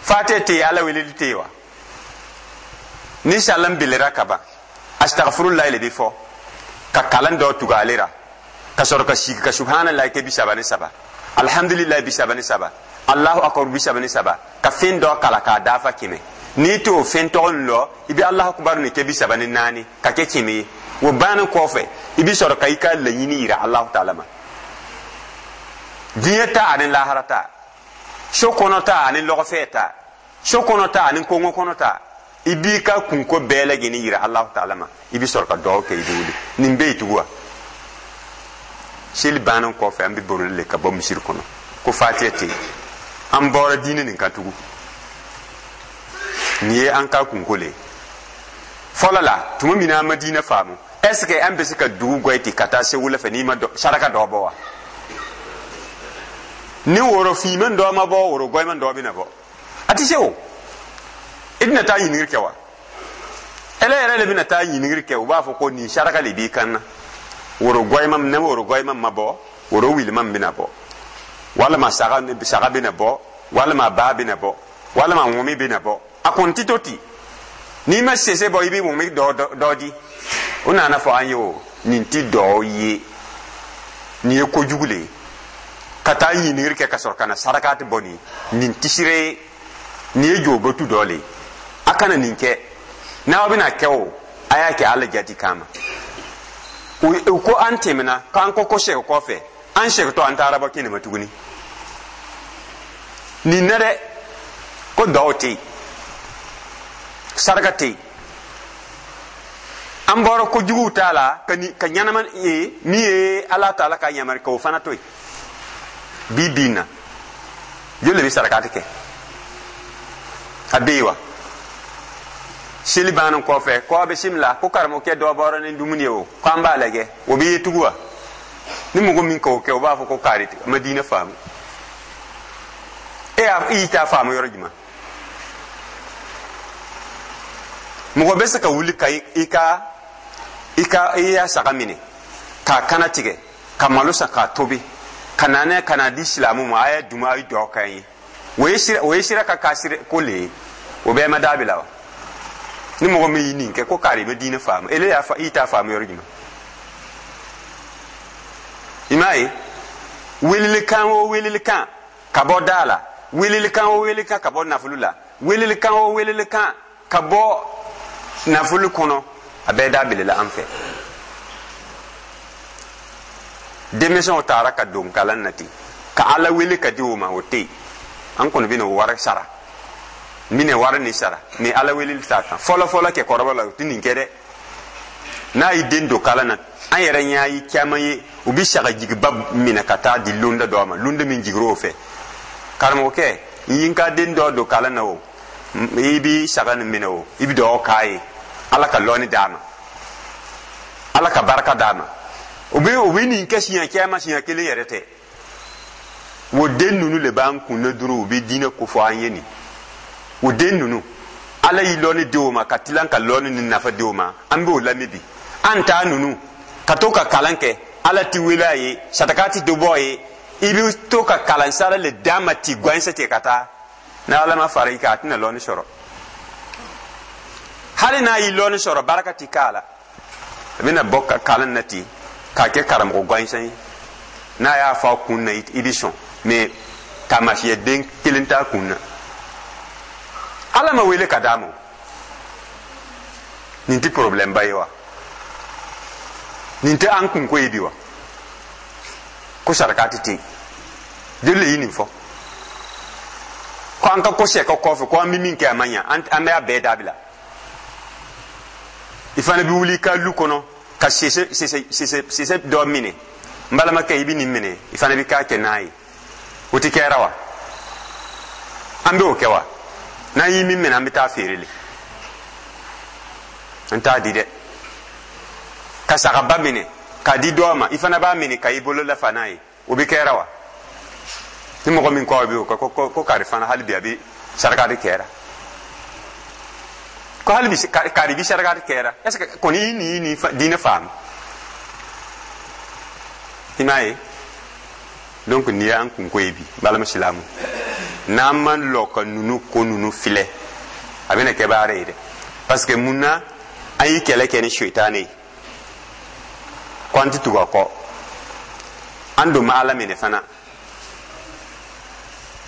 fatiya tɛ yen, Ala weleli tɛ yen wa? Ni salam bilera ka ban, astagfirullah le bɛ fɔ ka kalan dɔ tugu ale ra, ka sɔrɔ ka sigi ka subhanallah kɛ 33, alhamdulillah 33, allahu akbar 33, ka fɛn dɔ kala k'a dafa 100. N'i t'o fɛn tɔgɔ nin lɔ, i bɛ allahu akbar nin kɛ 34 ka kɛ 100 ye. O bannen kɔfɛ, i bɛ sɔrɔ ka i ka laɲini yira Alahu taala ma, diɲɛ ta ani lahara ta, so kɔnɔ ta ani lɔgɔfɛ ta, so kɔnɔ ta ani kongo kɔnɔ ta. I b'i ka kunko bɛɛ lajɛlen yira Alahu taala ma, i bɛ sɔrɔ ka dugawu kɛ, i bɛ wuli. Nin bɛ yen tugun wa? Seli bannen kɔfɛ, an bɛ boroli le ka bɔ misiri kɔnɔ ko fatiya tɛ yen. An bɔra diinɛ nin kan tugun. Nin ye an ka kunko le ye. Fɔlɔ la, tuma min na an ma diinɛ faamu, est ce que an bɛ se ka dugu gɔ ten ka taa Segu fɛ n'i ma saraka dɔ bɔ wa? Ni woro finman dɔ ma bɔ, woro gɔyman dɔ bɛna bɔ, a tɛ se o. I bɛna taa ɲininkali kɛ wa? Ele yɛrɛ de bɛna taa ɲininkali kɛ. U b'a fɔ ko nin saraka de b'i kan na, woro gɔyman ni woro gɔyman ma bɔ, woro wiliman bɛna bɔ, walima saga bɛna bɔ, walima ba bɛna bɔ, walima ŋumi bɛna bɔ. A kɔni tɛ to ten. N'i ma sese bɔ, i bɛ ŋumi dɔ di. O nana fɔ an ye o, nin ti dɔ ye, nin ye kojugu le ye. Ka taa ɲininkali kɛ ka sɔrɔ ka na saraka tɛ bɔ, nin tisire ye, nin ye jobatu dɔ le ye. A kana nin kɛ. N'aw bɛna kɛ o, a y'a kɛ Ala jati kama. U ko an tɛmɛna k'an ko sɛgɛ kɔfɛ, an sɛgɛtɔ, an taara bɔ kɛnɛ ma tuguni. Nin na dɛ, ko dɔw tɛ yen, saraka tɛ yen. An bɔra kojuguw t'a la ka ɲɛnama ye min ye Ala taala ka yamari k'o fana to yen. Bi bi in na, joli de bɛ sarakati kɛ? A bɛ yen wa? Seli bannen kɔfɛ, ko a bɛ simila, ko karamɔgɔkɛ dɔ bɔra ni dumuni ye o, ko an b'a lajɛ, o bɛ ye tugun wa? Ni mɔgɔ min k'o kɛ, o b'a fɔ ko kari ma diinɛ faamu. E y'a i t'a faamu yɔrɔ jumɛn? Mɔgɔ bɛ se ka wuli ka i ka i ka i y'a saga minɛ k'a kana tigɛ, ka malo san k'a tobi, ka na n'a ka na di silamɛw ma, a ye dumu, a ye dugawu k'an ye. O ye sira ka kasiri ko le ye, o bɛɛ ma dabila wa? Ni mɔgɔ min y'i nin kɛ ko kari i bɛ diinɛ faamu, ele y'a fa i t'a faamu yɔrɔ jumɛn? I m'a ye, welelikan o welelikan ka bɔ da la, welelikan o welelikan ka bɔ nafolo la, welelikan o welelikan ka bɔ nafolo kɔnɔ, a bɛɛ dabilala an fɛ. Denmisɛnw taara ka don kalan na ten ka Ala wele ka di o ma, o tɛ yen. An kɔni bɛna o wari sara, n bɛna wari nin sara, mɛ Ala weleli t'a kan. Fɔlɔ fɔlɔ kɛkɔrɔba la, u tɛ nin kɛ dɛ. N'a y'i den don kalan na, an yɛrɛ ɲɛ ye caman ye, u bɛ sagajigiba minɛ ka taa di londa dɔ ma, londa min jigir'o o fɛ. Karamɔgɔkɛ, n ye n ka den dɔ don kalan na o, i bɛ saga nin minɛ o, i bɛ dugawu k'a ye, Ala ka lɔnni d'a ma, Ala ka barika d'a ma. U bɛ nin kɛ siɲɛ caman, siɲɛ kelen yɛrɛ tɛ. O den ninnu de b'an kun na dɔrɔn, u bɛ diinɛ kofɔ an ye nin. O den ninnu, Ala y'i lɔnni di o ma ka tilan ka lɔnni ni nafa di o ma, an b'o lamɛn bi. An ta ninnu ka to ka kalan kɛ, Ala ti wele a ye, sadaka ti dɔ bɔ a ye, i bɛ to ka kalan sara le d'a ma ti gansan ten ka taa. N'Ala ma fara i kan, a tɛna lɔnni sɔrɔ. Hali n'a y'i lɔnni sɔrɔ, barika ti k'a la. A bɛna bɔ ka kalan na ten k'a kɛ karamɔgɔ gansan ye. N'a y'a fɔ a kun na, i bɛ sɔn, mɛ taamasiyɛn den kelen t'a kun na. Ala ma wele ka d'a ma. Nin tɛ problème ba ye wa? Nin tɛ an kunko ye bi wa? Ko saraka tɛ ten, joli le ye nin fɔ? Ko an ka ko sɛ ka kɔfɛ, ko an bɛ min kɛ a ma ɲa, an bɛ a bɛɛ dabila. I fana bɛ wuli i ka lu kɔnɔ ka sese dɔ minɛ. N balimakɛ, i bɛ nin minɛ, i fana bɛ k'a kɛ n'a ye. O tɛ kɛra wa? An bɛ o kɛ wa? N'an ye min minɛ, an bɛ taa feere le, an t'a di dɛ. Ka sagaba minɛ k'a di dɔw ma, i fana b'a minɛ ka i bolo lafa n'a ye, o bɛ kɛra wa? Ni mɔgɔ min ko a bɛ o kɛ, ko kari fana hali bi a bɛ saraka de kɛra, ko hali bi kari bi saraka de kɛra. Est ce que kɔni i ni ni diinɛ faamu? I m'a ye. Donc nin y'an kunko ye bi, balima silamu. N'an ma lɔ ka nunu ko nunu filɛ, a bɛna kɛ baara ye dɛ. Parce que mun na an ye kɛlɛ kɛ ni sitane ye ko an tɛ tugu a kɔ, an don ma Ala minɛ fana?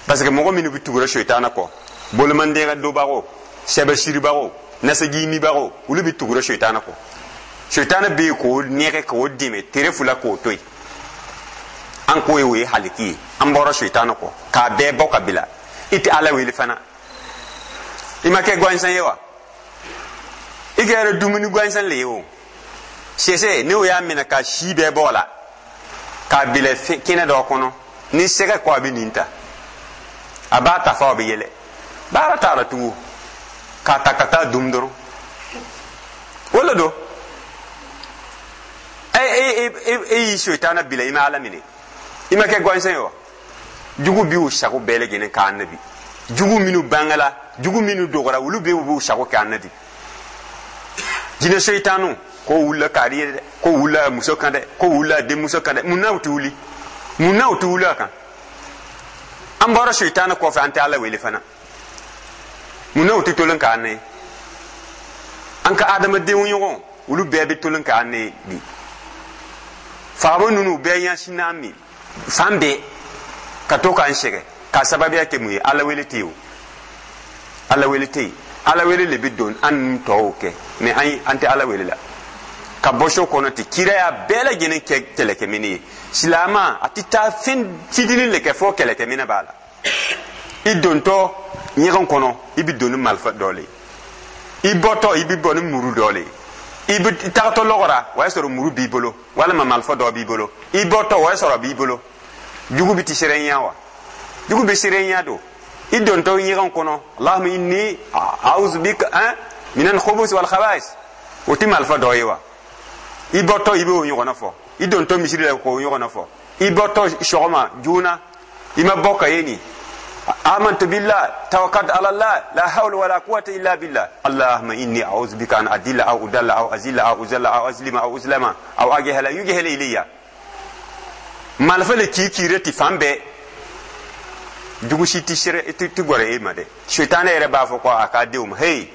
Parce que mɔgɔ minnu bɛ tugura sitana kɔ, bolomandenya donbagaw, sɛbɛsiribagaw, nasajimibagaw, olu bɛ tugura sitana kɔ. Sitana bɛ yen k'o nɛgɛ, k'o dɛmɛ tere fila k'o to yen. An k'o ye, o ye haliki ye. An bɔra sitana kɔ k'a bɛɛ bɔ ka bila. I tɛ Ala wele fana, i ma kɛ gansan ye wa? I kɛra dumuni gansan le ye o. Sɛsɛ, n'o y'a minɛ ka si bɛɛ bɔ a la k'a bila kɛnɛ dɔ kɔnɔ, ni sɛgɛ ko a bɛ nin ta, a b'a ta fɔ a bɛ yɛlɛ, baara t'a la tugun, k'a ta ka taa dun dɔrɔn. O le don. E e e e y'i sitana bila, i ma Ala minɛ, i ma kɛ gansan ye wa? Jugu b'u sago bɛɛ lajɛlen k'an na bi. Jugu minnu bangala, jugu minnu dɔgɔra, olu bɛɛ b'u sago k'an na bi. Jinɛ sitanu ko wulila kari ye dɛ, ko wulila muso kan dɛ, ko wulila denmuso kan dɛ. Mun na u tɛ wuli? Mun na u tɛ wuli a kan? An bɔra sitana kɔfɛ, an tɛ Ala wele fana. Mun na u tɛ tolon k'an na ye? An ka adamadenw ɲɔgɔn, olu bɛɛ bɛ tolon k'an na ye bi. Faama ninnu bɛɛ ɲɛsin n'an min fan bɛɛ ka to k'an sɛgɛn, k'a sababuya kɛ mun ye? Ala wele tɛ yen o, Ala wele tɛ yen. Ala wele de bɛ don an ni tɔw kɛ, mɛ an tɛ Ala wele la. Ka bɔ so kɔnɔ ten, kira y'a bɛɛ lajɛlen kɛ kɛlɛkɛminɛ ye. Silamɛ a tɛ taa fɛn fitinin de kɛ fɔ kɛlɛkɛminɛ b'a la. I dontɔ ɲɛgɛn kɔnɔ, i bɛ don ni marifa dɔ le ye. I bɔtɔ, i bɛ bɔ ni muru dɔ le ye. I bɛ tagatɔ lɔgɔ la, o y'a sɔrɔ muru b'i bolo walima marifa dɔ b'i bolo. I bɔtɔ, o y'a sɔrɔ a b'i bolo. Jugu bɛ ti siranya wa? Jugu bɛ siranya don. I dontɔ ɲɛgɛn kɔnɔ, Allahumma inni a'udhu bika minal khubuthi wal khaba'is, o tɛ marifa dɔ ye wa? I bɔtɔ, i b'o ɲɔgɔnna fɔ. I dontɔ misiri la, k'o ɲɔgɔnna fɔ. I bɔtɔ sɔgɔma joona, i ma bɔ ka ye nin, amantu billah, tawakkaltu ala Allah, la hawla wala quwwata illa billah, allahumma inni a'udhu bika an adilla aw udalla aw azilla aw uzalla aw azlima aw uzlama aw ajhala yujhala ilayya. Marifa le k'i kiire ti fan bɛɛ. Jugu si tɛ sere tɛ gɔrɛ e ma dɛ. Sitana yɛrɛ b'a fɔ ko a k'a denw ma, hey,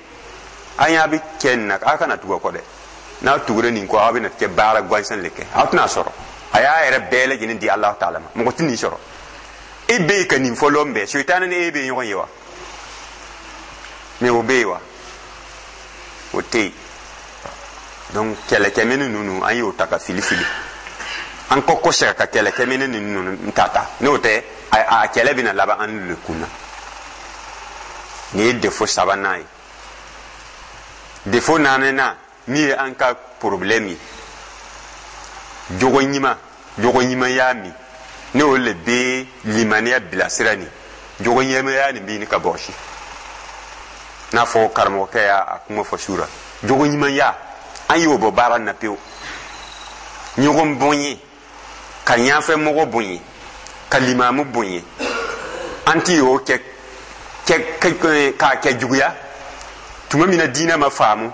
an y'a bɛ kɛ nin na, aw kana tugu a kɔ dɛ. N'aw tugura nin kɔ, aw bɛna kɛ baara gansan le kɛ, aw tɛna sɔrɔ. A y'a yɛrɛ bɛɛ lajɛlen di Alahu taala ma, mɔgɔ tɛ nin sɔrɔ. E bɛ yen ka nin fɔ lɔn bɛɛ, sitana ni e bɛ ɲɔgɔn ye wa? Mais o bɛ yen wa? O tɛ yen. Donc kɛlɛkɛminɛ ninnu, an y'o ta ka fili fili, an kɔ kɔsegin ka kɛlɛkɛminɛ ninnu ta ta, n'o tɛ a kɛlɛ bɛna laban an le kun na. Nin ye défaut sabanan ye. Défaut naaninan min ye an ka problème ye, jogo ɲuman, jogo ɲumanya min n'o le bɛ limaniya bilasira, nin jogo ɲumanya nin bɛ ɲini ka bɔsi. N'a fɔ karamɔgɔkɛ y'a kuma fɔ su ra, jogo ɲumanya, an y'o bɔ baara na pewu. Ɲɔgɔn bonye, ka ɲafɛ mɔgɔ bonye, ka limamu bonye, an ti y'o kɛ k'a kɛ juguya. Tuma min na diinɛ ma faamu,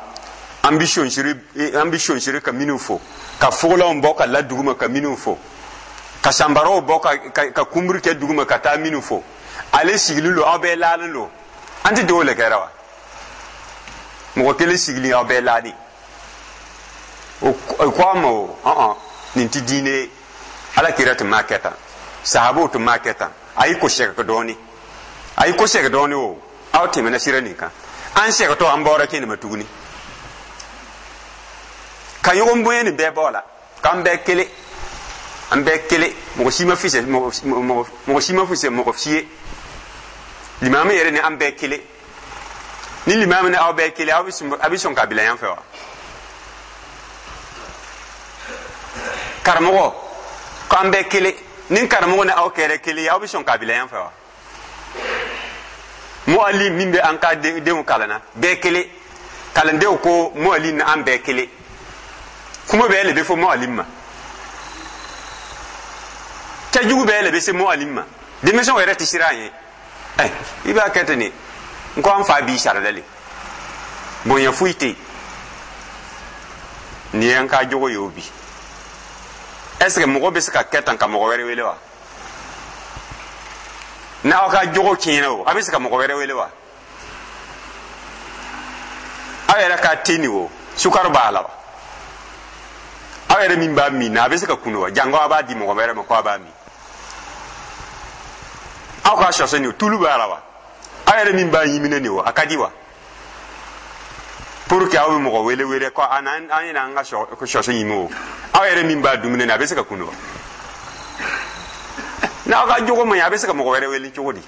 an bɛ sonsiri ka minnu fo, ka fogolanw bɔ ka la duguma ka minnu fo, ka sanbaraw bɔ ka kunburu kɛ duguma ka taa minnu fo, ale sigilen don, aw bɛɛ laalen don. An tɛ dɔw le kɛra wa? Mɔgɔ kelen sigilen, aw bɛɛ laalen. O ko an ma o ɔn nin tɛ diinɛ ye. Ala kira tun m'a kɛ tan, sahabaw tun m'a kɛ tan. A y'i ko sɛgɛ dɔɔni, a y'i ko sɛgɛ dɔɔni. O aw tɛmɛna sira nin kan, an sɛgɛtɔ, an bɔra kɛnɛ ma tuguni ka ɲɔgɔn bonya. Nin bɛɛ bɔ a la k'an bɛɛ kelen, an bɛɛ kelen. Mɔgɔ si ma fisɛ mɔgɔ si ma fisɛ mɔgɔ si ye. Limami yɛrɛ ni an bɛɛ kelen. Ni limami ni aw bɛɛ kelen, aw bɛ sɔn k'a bila yan fɛ wa? Karamɔgɔ k'an bɛɛ kelen, ni karamɔgɔ ni aw kɛra kelen ye, aw bɛ sɔn k'a bila yan fɛ wa? Mu'allim min bɛ an ka denw kalan na, bɛɛ kelen. Kalandenw ko mu'allim ni an bɛɛ kelen, kuma bɛɛ le bɛ fɔ mu'allim ma, cɛjugu bɛɛ le bɛ se mu'allim ma. Denmisɛnw yɛrɛ tɛ siran an ye. Ɛ, i b'a kɛ ten de, n ko an fa b'i sara le, bonya foyi tɛ yen. Nin ye an ka jogo ye o bi. Est ce que mɔgɔ bɛ se ka kɛ tan ka mɔgɔ wɛrɛ wele wa? N'aw ka jogo tiɲɛna o, a bɛ se ka mɔgɔ wɛrɛ wele wa? Aw yɛrɛ ka te nin o, sukaro b'a la wa? Aw yɛrɛ min b'a min na, a bɛ se ka kunu wa? Jango a b'a di mɔgɔ wɛrɛ ma ko a b'a min. Aw ka sɔsɔ nin o, tulu b'a la wa? Aw yɛrɛ min b'a ɲimina nin o, a ka di wa? Pour que aw bɛ mɔgɔ wele wele ko an yɛrɛ an ka sɔsɔ ɲimi o, aw yɛrɛ min b'a dumuni na, a bɛ se ka kunu wa? N'aw ka jogo man ɲi, a bɛ se ka mɔgɔ wɛrɛ wele cogo di?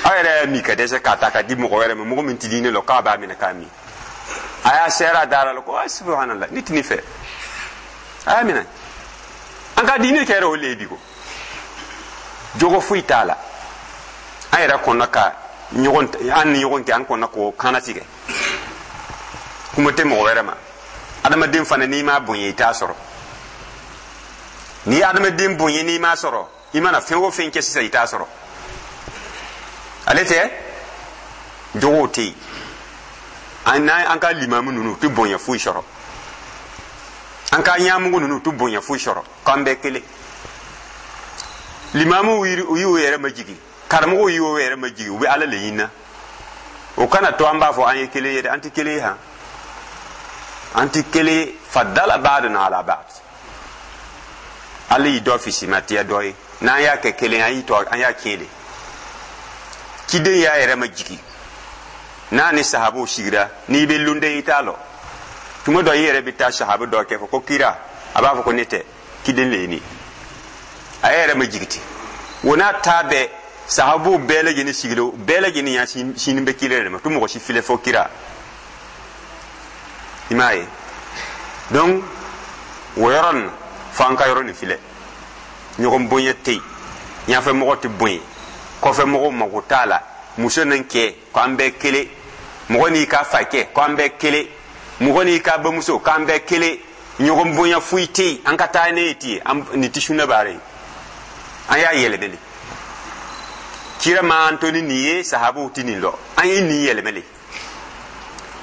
Aw yɛrɛ y'a min ka dɛsɛ k'a ta ka di mɔgɔ wɛrɛ ma, mɔgɔ min tɛ diinɛ lɔ, k'a b'a minɛ k'a min. A y'a sɛra a dara la ko subhanallah, ne tɛ nin fɛ, a y'a minɛ. An ka diinɛ kɛra o le ye bi ko jogo foyi t'a la. An yɛrɛ kɔnna ka ɲɔgɔn, an ni ɲɔgɔn cɛ, an kɔnna k'o kana tigɛ. Kuma tɛ mɔgɔ wɛrɛ ma. Adamaden fana, n'i m'a bonya, i t'a sɔrɔ. N'i ye adamaden bonya, n'i m'a sɔrɔ, i mana fɛn o fɛn kɛ sisan, i t'a sɔrɔ. Ale tɛ jogow tɛ yen. An n'an ka limamu ninnu tɛ bonya foyi sɔrɔ, an ka ɲɛmɔgɔ ninnu tɛ bonya foyi sɔrɔ, k'an bɛɛ kelen. Limamuw y'u yɛrɛ majigin, karamɔgɔw y'u yɛrɛ majigin, u bɛ Ala le ɲini. O kana to an b'a fɔ an ye kelen ye dɛ, an tɛ kelen ye han, an tɛ kelen ye. Fadala ba'duna ala ba'd, Ala y'i dɔ fisimatiya dɔ ye. N'an y'a kɛ kelen, an y'i to, an y'a tiɲɛ de. Ciden y'a yɛrɛ majigin, n'a ni sahabaw sigira, n'i bɛ lunden i t'a lɔ. Tuma dɔ i yɛrɛ bɛ taa sahaba dɔ kɛ fɔ ko kira, a b'a fɔ ko ne tɛ ciden le ye nin. A yɛrɛ majigin ten. O n'a ta bɛɛ, sahabaw bɛɛ lajɛlen sigilen, bɛɛ lajɛlen y'a sini bɛ kira de ma, to mɔgɔ si filɛ fɔ kira. I m'a ye? Donc o yɔrɔ nin, fo an ka yɔrɔ nin filɛ. Ɲɔgɔn bonya tɛ yen, ɲɛfɛ mɔgɔ tɛ bonya, kɔfɛ mɔgɔw mago t'a la. Muso ni cɛ k'an bɛɛ kelen, mɔgɔ n'i ka fakɛ k'an bɛɛ kelen, mɔgɔ n'i ka bamuso k'an bɛɛ kelen. Ɲɔgɔn bonya foyi tɛ yen. An ka taa ne ye ten, nin tɛ sunna baara ye. An y'a yɛlɛmɛ de. Kira ma an to ni nin ye, sahabaw tɛ nin lɔ, an ye nin yɛlɛmɛ de.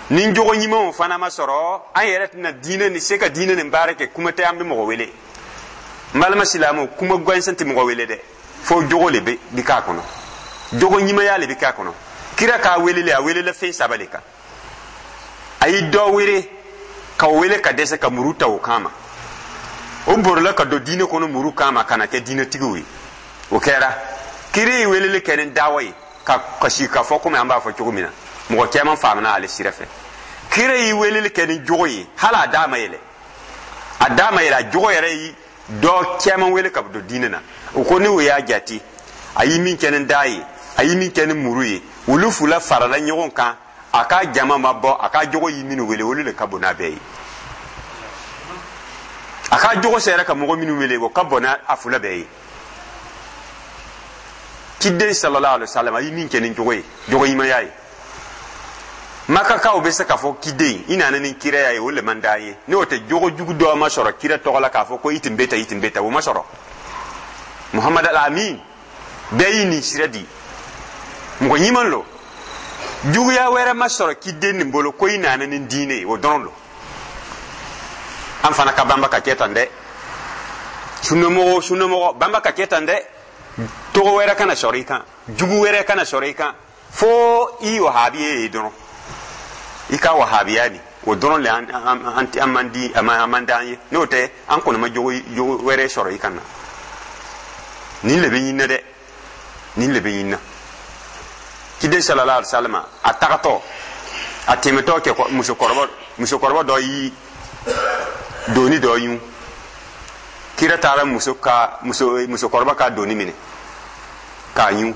Ni jogo ɲumanw fana ma sɔrɔ, an yɛrɛ tɛna diinɛ ni se ka diinɛ nin baara kɛ. Kuma tɛ an bɛ mɔgɔ wele. N balima silamɛw, kuma gansan tɛ mɔgɔ wele dɛ. Fo jogo le bɛ k'a kɔnɔ, jogo ɲumanya le bɛ k'a kɔnɔ. Kira k'a welele, a welela fɛn saba le kan. A ye dɔ wele ka wele ka dɛsɛ ka muru ta o kama, o borila ka don diinɛ kɔnɔ muru kama ka na kɛ diinɛtigiw ye. O kɛra kira ye weleli kɛ ni dawa ye ka kasi ka fɔ komi an b'a fɔ cogo min na, mɔgɔ caman faamuna ale sira fɛ. Kira ye weleli kɛ ni jogo ye, hali a da ma yɛlɛ, a da ma yɛlɛ, a jogo yɛrɛ ye dɔ caman wele ka don diinɛ na. O ko n'o y'a jate, a ye min kɛ ni da ye, a ye min kɛ ni muru ye, olu fila farala ɲɔgɔn kan, a ka jama ma bɔ, a ka jogo ye minnu wele, olu de ka bon n'a bɛɛ ye. A ka jogo sera ka mɔgɔ minnu wele, o ka bon n'a a fila bɛɛ ye. Ciden sallallahu alaihi wasallam a ye min kɛ ni jogo ye, jogo ɲumanya ye, Makakaw bɛ se k'a fɔ kiden i nana ni kiraya ye, o le man d'an ye. N'o tɛ, jogo jugu dɔ ma sɔrɔ kira tɔgɔ la k'a fɔ ko i tun bɛ tan, i tun bɛ tan, o ma sɔrɔ. Muhamad al-Amin bɛɛ y'i nin sira di, mɔgɔ ɲuman lo. Juguya wɛrɛ ma sɔrɔ kiden nin bolo ko i nana ni diinɛ ye, o dɔrɔn lo. An fana ka banba ka kɛ tan dɛ, sunnamɔgɔ sunnamɔgɔ banba ka kɛ tan dɛ. Tɔgɔ wɛrɛ kana sɔrɔ i kan, jugu wɛrɛ kana sɔrɔ i kan, fo i wahabiye ye dɔrɔn. I ka wahabiya ni o dɔrɔn le an man di, an man d'an ye. N'o tɛ, an kɔni ma jogo wɛrɛ sɔrɔ i kan na. Nin le bɛ ɲinina dɛ, nin le bɛ ɲinina. Ciden sallallahu alaihi wasallam a tagatɔ, a tɛmɛtɔ kɛ musokɔrɔba dɔ y'i doni dɔ ɲun. Kira taara musokɔrɔba ka doni minɛ k'a ɲun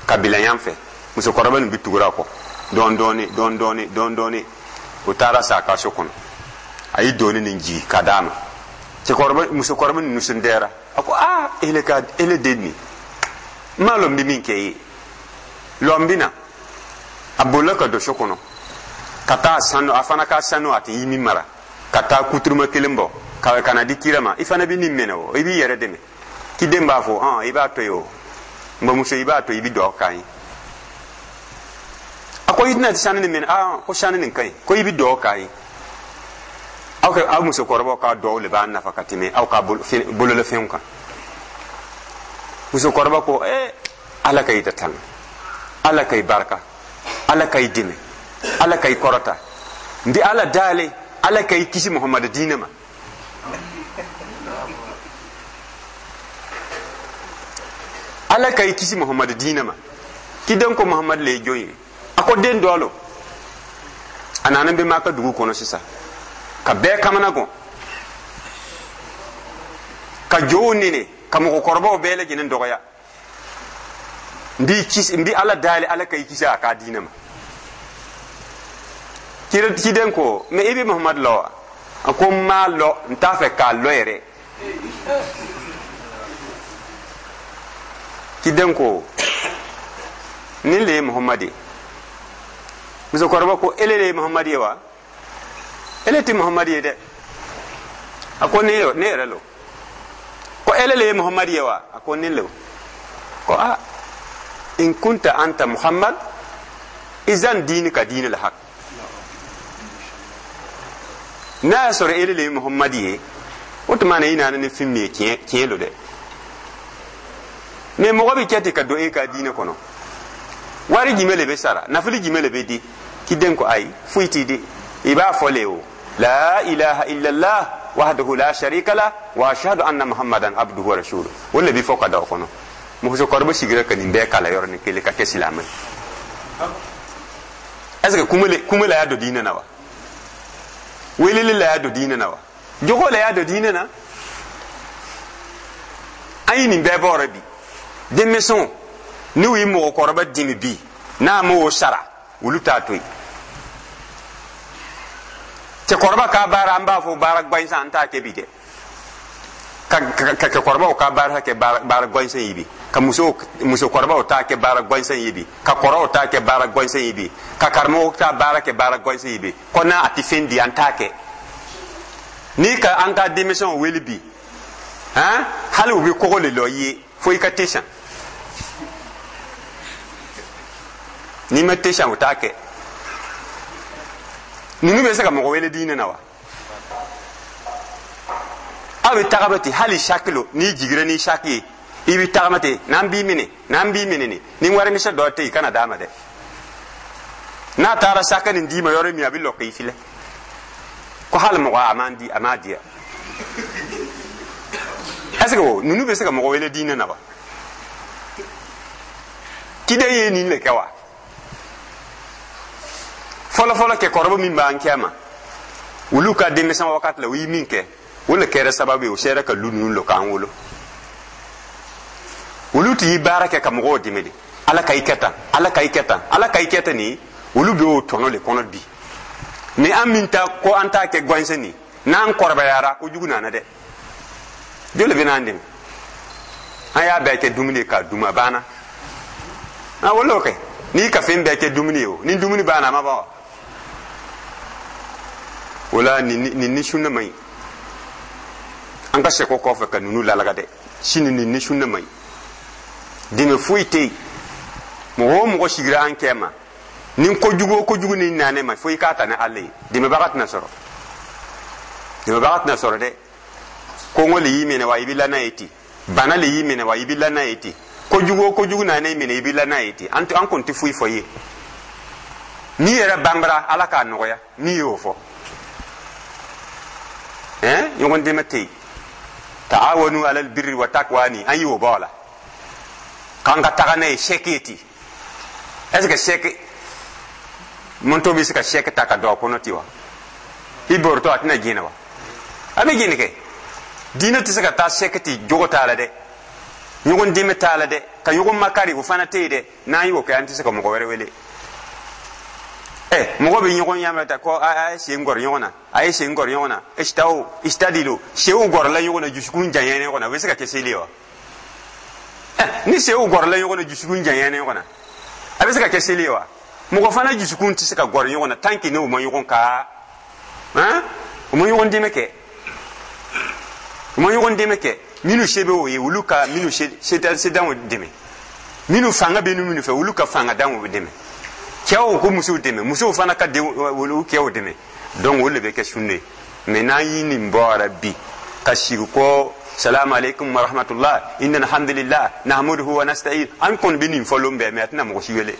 ka bila yan fɛ. Musokɔrɔba nin bɛ tugura a kɔ dɔɔni dɔɔni dɔɔni dɔɔni dɔɔni dɔɔni. O taara sa a ka so kɔnɔ, a ye doni nin jigin ka d'a ma. Cɛkɔrɔba musokɔrɔba nin nisɔndiyara, a ko aa, ele ka ele den nin, n m'a lɔn n bɛ min kɛ i ye, lɔn bɛ na. A bolila ka don so kɔnɔ ka taa sanu, a fana ka sanu a tɛ i min mara, ka taa kuturuma kelen bɔ ka na di kira ma. I fana bɛ nin minɛ o, i b'i yɛrɛ dɛmɛ. Kiden b'a fɔ hɔn, i b'a to yen o, n bamuso, i b'a to i bɛ dugawu k'an ye. A ko i tɛna sanu nin minɛ? Aa, ko sanu nin ka ɲi, ko i bɛ dugawu k'an ye. Aw ka aw musokɔrɔbaw ka dugawu de b'a nafa ka tɛmɛ aw ka bololafɛnw kan. Musokɔrɔba ko ala ka i da tanga, ala ka i barika, ala ka i dɛmɛ, ala ka i kɔrɔta, n bɛ ala dale, ala ka i kisi Muhamadu diinɛ ma. Ala ka i kisi Muhamadu diinɛ ma. Kiden ko Muhamadu le ye jɔn ye? A ko den dɔ lo. A nana bɛ Maka dugu kɔnɔ sisan ka bɛɛ kamana gan, ka jow nene, ka mɔgɔkɔrɔbaw bɛɛ lajɛlen dɔgɔya. N b'i kisi, n bɛ ala dali, ala ka i kisi a ka diinɛ ma. Ciden ko mɛ i bɛ Muhamadu lɔ wa? A ko n m'a lɔ, n t'a fɛ k'a lɔ yɛrɛ. Ciden ko nin le ye Muhamadu ye. Musokɔrɔba ko ele le ye Muhamadu ye wa? Ele tɛ Muhamadu ye dɛ. A ko ne yɛrɛ lo. Ko ele le ye Muhamadu ye wa? A ko ne lo. Ko a in kunta anta Muhammad izan diini ka diini la hak. N'a y'a sɔrɔ ele le ye Muhamadu ye, o tuma na i nana ni fɛn min ye tiɲɛ lo dɛ. Mɛ mɔgɔ bɛ kɛ ten ka don e ka diinɛ kɔnɔ. Wari jumɛn le bɛ sara, nafolo jumɛn le bɛ di? Kiden ko ayi, foyi t'i di. I b'a fɔ le o, la ilaha illallah wahdahu la sharika la wa ashhadu anna muhammadan abduhu wa rasuluhu. O le bɛ fɔ ka da o kɔnɔ. Musokɔrɔba sigira ka nin bɛɛ kalan yɔrɔnin kelen ka kɛ silamɛ ye. Est ce que kuma la y'a don diinɛ na wa? Weleli la y'a don diinɛ na wa? Jogo la y'a don diinɛ na? An ye nin bɛɛ bɔ bi. Denmisɛnw n'u ye mɔgɔkɔrɔba dimi bi, n'a m'o sara, olu t'a to yen. Cɛkɔrɔba ka baara, an b'a fɔ baara gansan, an t'a kɛ bi dɛ. Ka cɛkɔrɔbaw ka baara kɛ baara gansan ye bi, ka musokɔrɔbaw t'a kɛ baara gansan ye bi, ka kɔrɔw t'a kɛ baara gansan ye bi, ka karamɔgɔw t'a baara kɛ baara gansan ye bi. Ko n'a a tɛ fɛn di, an t'a kɛ. N'i ka an ka denmisɛnw wele bi, han, hali u bɛ kɔgɔ le lɔ i ye fo i ka te san. N'i ma te san, u t'a kɛ. Ninnu bɛ se ka mɔgɔ wele diinɛ na wa? Aw bɛ taga bɛ ten, hali sakilo n'i jiginra ni saki ye, I bɛ tagama ten, n'an b'i minɛ, n'an b'i minɛ, ni warimisɛn dɔ tɛ yen, i kana d'a ma dɛ. N'a taara saka nin d'i ma yɔrɔ min, a bɛ lɔ k'i filɛ ko hali mɔgɔ a m'an di, a m'a di yan. Est ce que o ninnu bɛ se ka mɔgɔ wele diinɛ na wa? Kiden ye nin de kɛ wa? Fɔlɔfɔlɔ, kɛkɔrɔba min b'an kɛ ma, olu ka denmisɛn wagati la, u ye min kɛ, o le kɛra sababu ye o sera ka lu ninnu lɔ k'an wolo. Olu tun ye baara kɛ ka mɔgɔw dɛmɛ de. Ala ka i kɛ tan, Ala ka i kɛ tan, Ala ka i kɛ tan. Nin olu bɛ o tɔnɔ de kɔnɔ bi. Ni an min ta ko an t'a kɛ gansan nin, n'an kɔrɔbayara, kojugu nana dɛ. Joli bɛ n'an dɛmɛ? An y'a bɛɛ kɛ dumuni ye k'a dun, a banna. A wolo kɛ n'i ka fɛn bɛɛ kɛ dumuni ye, o ni dumuni banna, a ma ban wa? O la, nin ni sunna man ɲi. An ka sɛko kɔfɛ ka ninnu lalaga dɛ. Sini nin ni sunna man ɲi, dɛmɛ foyi tɛ yen. Mɔgɔ o mɔgɔ sigira an kɛ ma ni kojugu o kojugu ni nanɛ ma, fo i k'a ta ni Ala ye. Dɛmɛbaga tɛna sɔrɔ, dɛmɛbaga tɛna sɔrɔ dɛ. Kɔngɔ le y'i minɛ wa, i bɛ la n'a ye ten. Bana le y'i minɛ wa, i bɛ la n'a ye ten. Kojugu o kojugu nanɛ minɛ, i bɛ la n'a ye ten. An kɔni tɛ foyi fɔ i ye. N'i yɛrɛ banbara, Ala k'a nɔgɔya n'i y'o fɔ. Ɛn, ɲɔgɔn dɛmɛ tɛ yen. Ta'awanu alal birri wa taqwa, ni an y'o bɔ a la k'an ka taga n'a ye chèque ye ten. Est ce que chèque moto bɛ se ka chèque ta ka don a kɔnɔ ten wa? I borotɔ, a tɛna jɛnɛ wa? A bɛ jɛnɛ kɛ. Diinɛ tɛ se ka taa chèque ten. Jogo t'a la dɛ, ɲɔgɔn dɛmɛ t'a la dɛ, ka ɲɔgɔn makari, o fana tɛ yen dɛ. N'an y'o kɛ, an tɛ se ka mɔgɔ wɛrɛ wele. Ɛ, mɔgɔ bɛ ɲɔgɔn ɲamɛ ta ko a ye sen gɔrɔ ɲɔgɔn na, a ye sen gɔrɔ ɲɔgɔn na, isitawo isitadilu, sew gɔrɔla ɲɔgɔn na, dusukun janyana ɲɔgɔn na, o bɛ se ka kɛ seli ye wa? Ɛ, ni sew gɔrɔla ɲɔgɔn na, dusukun janyana ɲɔgɔn na, a bɛ se ka kɛ seli ye wa? Mɔgɔ fana dusukun tɛ se ka gɔrɔ ɲɔgɔn na tant que n'o ma ɲɔgɔn ka han, u ma ɲɔgɔn dɛmɛ kɛ, u ma ɲɔgɔn dɛmɛ kɛ. Minnu se bɛ o ye, olu ka minnu se sedanw dɛmɛ. Minnu fanga bɛ minnu fɛ, olu ka fanga danw dɛmɛ. Cɛw ko musow dɛmɛ, musow fana ka denw, olu cɛw dɛmɛ. Donc o de bɛ kɛ sunne ye. Mais n'an ye nin bɔra bi ka sigi ko salamu aleykum wa rahmatullah, inna alhamdulillah nahmaduhu wa nasta'in, an kɔni bɛ nin fɔ lon bɛɛ, mais a tɛna mɔgɔ si wele,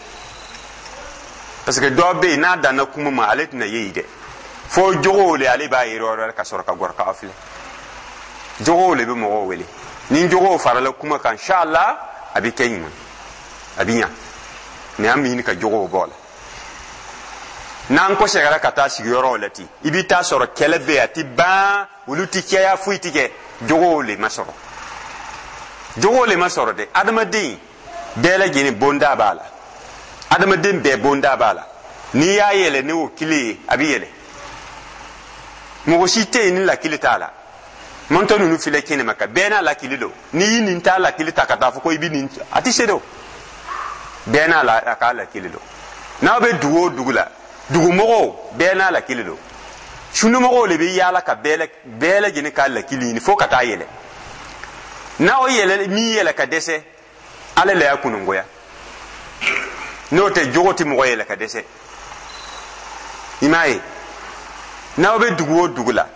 parce que dɔ bɛ yen, n'a danna kuma ma, ale tɛna ye yen dɛ. Fo jogow le, ale b'a yɛrɛ yɔrɔ ka sɔrɔ ka gɔrɔ k'aw filɛ. Jogow le bɛ mɔgɔw wele. Ni jogow farala kuma kan, inshallah, a bɛ kɛ ɲuman, a bɛ ɲa. Mais an bɛ ɲini ka jogow bɔ a la. N'an kɔsɛgɛra ka taa sigiyɔrɔw la ten, i bɛ taa sɔrɔ kɛlɛ bɛ yen, a ti ban, olu ti caya, foyi ti kɛ. Jogow le ma sɔrɔ, jogow le ma sɔrɔ dɛ. Adamaden bɛɛ lajɛlen bonda b'a la, adamaden bɛɛ bonda b'a la. N'i y'a yɛlɛ ni o kile ye, a bɛ yɛlɛ. Mɔgɔ si tɛ yen ni lakili t'a la. Mɔntɔ ninnu filɛ kɛnɛ ma, ka bɛɛ n'a lakili don. N'i y'i nin t'a lakili ta ka taa fɔ ko i bɛ nin, a tɛ se dɛ. Bɛɛ n'a la a k'a lakili don. N'aw bɛ dugu o dugu la, dugumɔgɔw bɛɛ n'a lakili don. Sunumɔgɔw de bɛ yaala ka bɛɛ lajɛlen k'a lakili ɲini fo ka taa yɛlɛ. N'aw yɛlɛ min yɛlɛ ka dɛsɛ, Ala le y'a kunungoya. N'o tɛ, jogo tɛ mɔgɔ yɛlɛ ka dɛsɛ. I m'a ye, n'aw bɛ dugu o dugu la,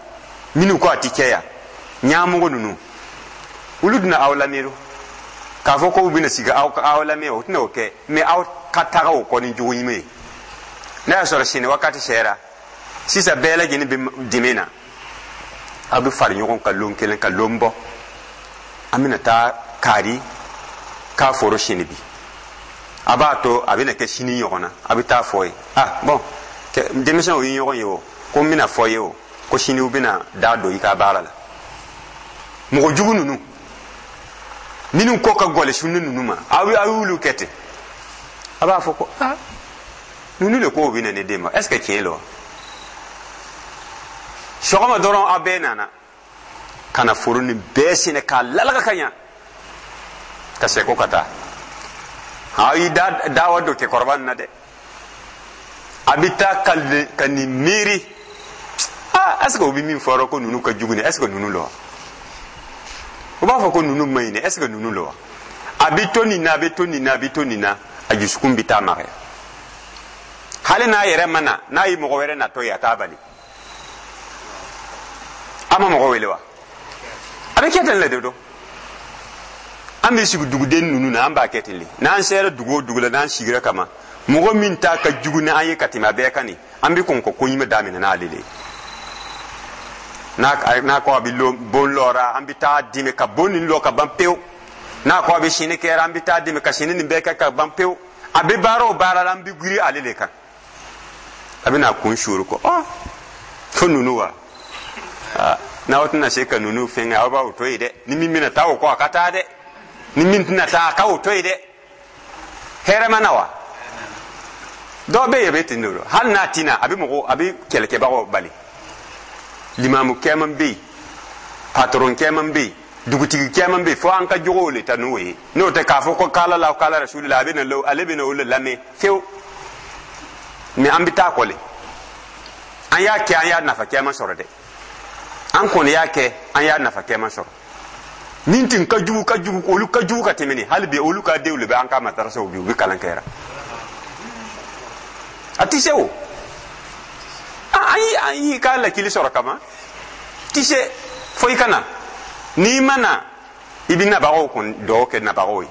minnu ko a ti kɛ yan, ɲamɔgɔ ninnu, olu tɛna aw lamɛn k'a fɔ k'u bɛna sigi aw lamɛn, o tɛna o kɛ. Mais aw ka taga o kɔ ni jogo ɲuman ye. N'a y'a sɔrɔ sini wagati sera sisan, bɛɛ lajɛlen bɛ dɛmɛ na, aw bɛ fara ɲɔgɔn kan lon kelen ka lon bɔ, an bɛna taa kari k'a foro sini bi. A b'a to a bɛna kɛ sini ɲɔgɔn na, a bɛ taa fɔ ye: ah bon, denmisɛnw ye ɲɔgɔn ye o, ko n bɛna fɔ ye o, ko sini u bɛna da don i ka baara la. Mɔgɔ jugu ninnu minnu ko ka gɔlɛ sunni ninnu ma, aw y'olu kɛ ten. A b'a fɔ ko ah, ninnu de ko bɛ na ne den ma, est ce que tiɲɛ don wa? Sɔgɔma dɔrɔn, aw bɛɛ nana ka na foro nin bɛɛ sɛnɛ k'a lalaga ka ɲa ka sɛko ka taa. Aw y'i da dawa don cɛkɔrɔba nin na dɛ. A bɛ taa ka nin miiri: ah, est ce que o bɛ min fɔra ko ninnu ka jugu nin, est ce que ninnu la wa? U b'a fɔ ko ninnu ma ɲi dɛ, est ce que ninnu la wa? A bɛ to nin na, a bɛ to nin na, a bɛ to nin na, a dusukun bɛ taa magaya. Hali n'a yɛrɛ ma na, n'a ye mɔgɔ wɛrɛ natɔ ye, a t'a bali. A ma mɔgɔ wele wa? A bɛ kɛ ten le de don. An bɛ sigi duguden ninnu na, an b'a kɛ ten de. N'an sera dugu o dugu la, n'an sigira kama, mɔgɔ min ta ka jugu ni an ye ka tɛmɛ a bɛɛ kan nin, an bɛ kɔn ka ko ɲuman daminɛ n'ale de ye. N'a ko a bɛ bon lɔra, an bɛ taa dimi ka bon nin lɔ ka ban pewu. N'a ko a bɛ sini kɛra, an bɛ taa dimi ka sini nin bɛɛ kɛ ka ban pewu. A bɛ baara o baara la, an bɛ girin ale de kan. A bɛna kun suuru ko ɔ fo ninnu wa, n'aw tɛna se ka ninnu fɛngɛ, aw b'aw to yen dɛ. Ni min bɛna taa o kɔ, a ka taa dɛ. Ni min tɛna taa, a ka o to yen dɛ. Hɛrɛ ma na wa? Dɔw bɛ yen, a bɛ ten de. Hali n'a tɛna, a bɛ mɔgɔ, a bɛ kɛlɛkɛbagaw bali. Limamu caman bɛ yen, patron caman bɛ yen, dugutigi caman bɛ yen, fo an ka jogow le ta n'o ye. N'o tɛ k'a fɔ ko k'ala la k'ala rasuli la, a bɛ na, ale bɛ na o le lamɛn fewu. Mɛ an bɛ taa kɔ le. An y'a kɛ, an y'a nafa caman sɔrɔ dɛ. An kɔni y'a kɛ, an y'a nafa caman sɔrɔ. Min tun ka jugu, ka jugu, olu ka jugu ka tɛmɛ nin. Hali bi, olu ka denw de bɛ an ka madarasaw bi, u bɛ kalan kɛra. A tɛ se o. An y'i ka lakili sɔrɔ kama ti se fo i ka na. N'i ma na, i bɛ nabagaw kɔni dɔw kɛ nabagaw ye.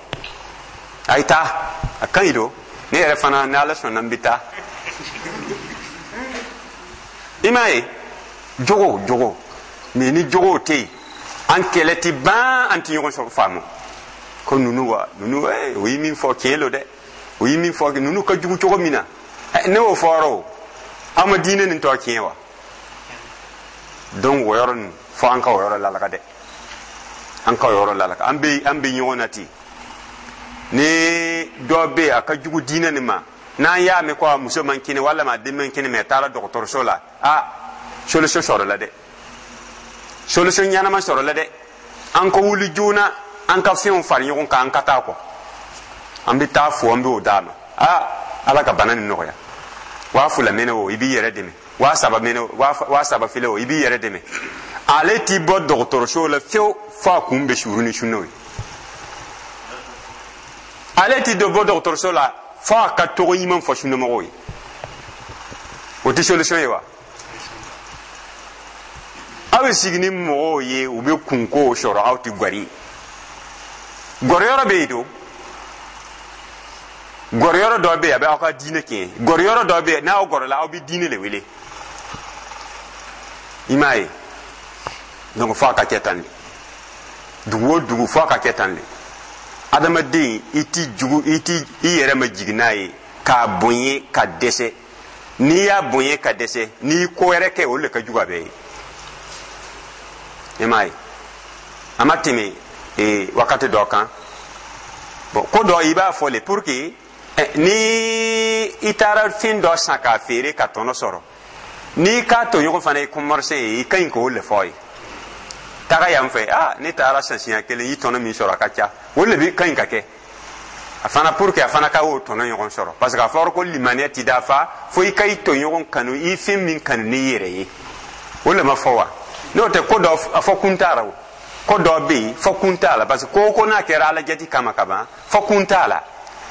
A ye taa, a ka ɲi don. Ne yɛrɛ fana, ni Ala sɔnna, n bɛ taa. I m'a ye, jogo jogo mɛ, ni jogow tɛ yen, an kɛlɛ ti ban, an ti ɲɔgɔn sɔrɔ faamu. Ko ninnu wa, ninnu, o ye min fɔ, tiɲɛ don dɛ. O ye min fɔ, ninnu ka jugu cogo min na, ne y'o fɔra o. Aw ma diinɛ nin tɔ tiɲɛ wa? Donc o yɔrɔ nin, fo an ka o yɔrɔ lalaka dɛ. An ka o yɔrɔ lalaka. An bɛ ɲɔgɔn na ten. Ni dɔ bɛ yen, a ka jugu diinɛ nin ma, n'an y'a mɛn ko a muso man kɛnɛ walima a den man kɛnɛ, mɛ a taara dɔgɔtɔrɔso la, a solution sɔrɔla dɛ, solution ɲɛnama sɔrɔla dɛ. An ka wuli joona, an ka fɛnw fara ɲɔgɔn kan, an ka taa kɔ. An bɛ taa fo, an b'o d'a ma. Aa, Ala ka bana nin nɔgɔya. 2000 mɛnɛ o, i b'i yɛrɛ dɛmɛ. 3000 mɛnɛ o, 3000 filɛ o, i b'i yɛrɛ dɛmɛ. Ale t'i bɔ dɔgɔtɔrɔso la fiyewu fo a kun bɛ suru ni sunnaw ye. Ale t'i dɔ bɔ dɔgɔtɔrɔso la fo a ka tɔgɔ ɲuman fɔ sunnamɔgɔw ye. O tɛ solution ye wa? Aw bɛ sigi ni mɔgɔw ye, u bɛ kunkow sɔrɔ, aw tɛ gɔri. Gɔriyɔrɔ bɛ yen don, gɔriyɔrɔ dɔ bɛ yen, a bɛ aw ka diinɛ tiɲɛ. Gɔriyɔrɔ dɔ bɛ yen, n'aw gɔrɔla, aw bɛ diinɛ de wele. I m'a ye? Donc fo a ka kɛ tan de. Dugu o dugu, fo a ka kɛ tan de. Adamaden, i ti jugu, i ti i yɛrɛ ma jigin n'a ye k'a bonya ka dɛsɛ. N'i y'a bonya ka dɛsɛ, n'i ko wɛrɛ kɛ, o de ka jugu a bɛɛ ye. I m'a ye, a ma tɛmɛ wakati dɔ kan. Bon, ko dɔ, i b'a fɔ le pour que ni i taara fɛn dɔ san k'a feere ka tɔnɔ sɔrɔ, n'i k'a tɔɲɔgɔn fana ye commerçant ye, i ka ɲi k'o le fɔ ye: taga yan fɛ, ah, ne taara san siɲɛ kelen, i tɔnɔ min sɔrɔ, a ka ca. O le bi ka ɲi ka kɛ a fana pour que a fana ka o tɔnɔ ɲɔgɔn sɔrɔ, parce que a fɔra ko limaniya ti dafa fo i ka i tɔɲɔgɔn kanu i fɛn min kanu n'i yɛrɛ ye. O le ma fɔ wa? N'o tɛ, ko dɔ a fɔ kun t'a la. O ko dɔ bɛ yen, fɔ kun t'a la, parce que ko o ko n'a kɛra Ala jati kama ka ban, fɔ kun t'a la.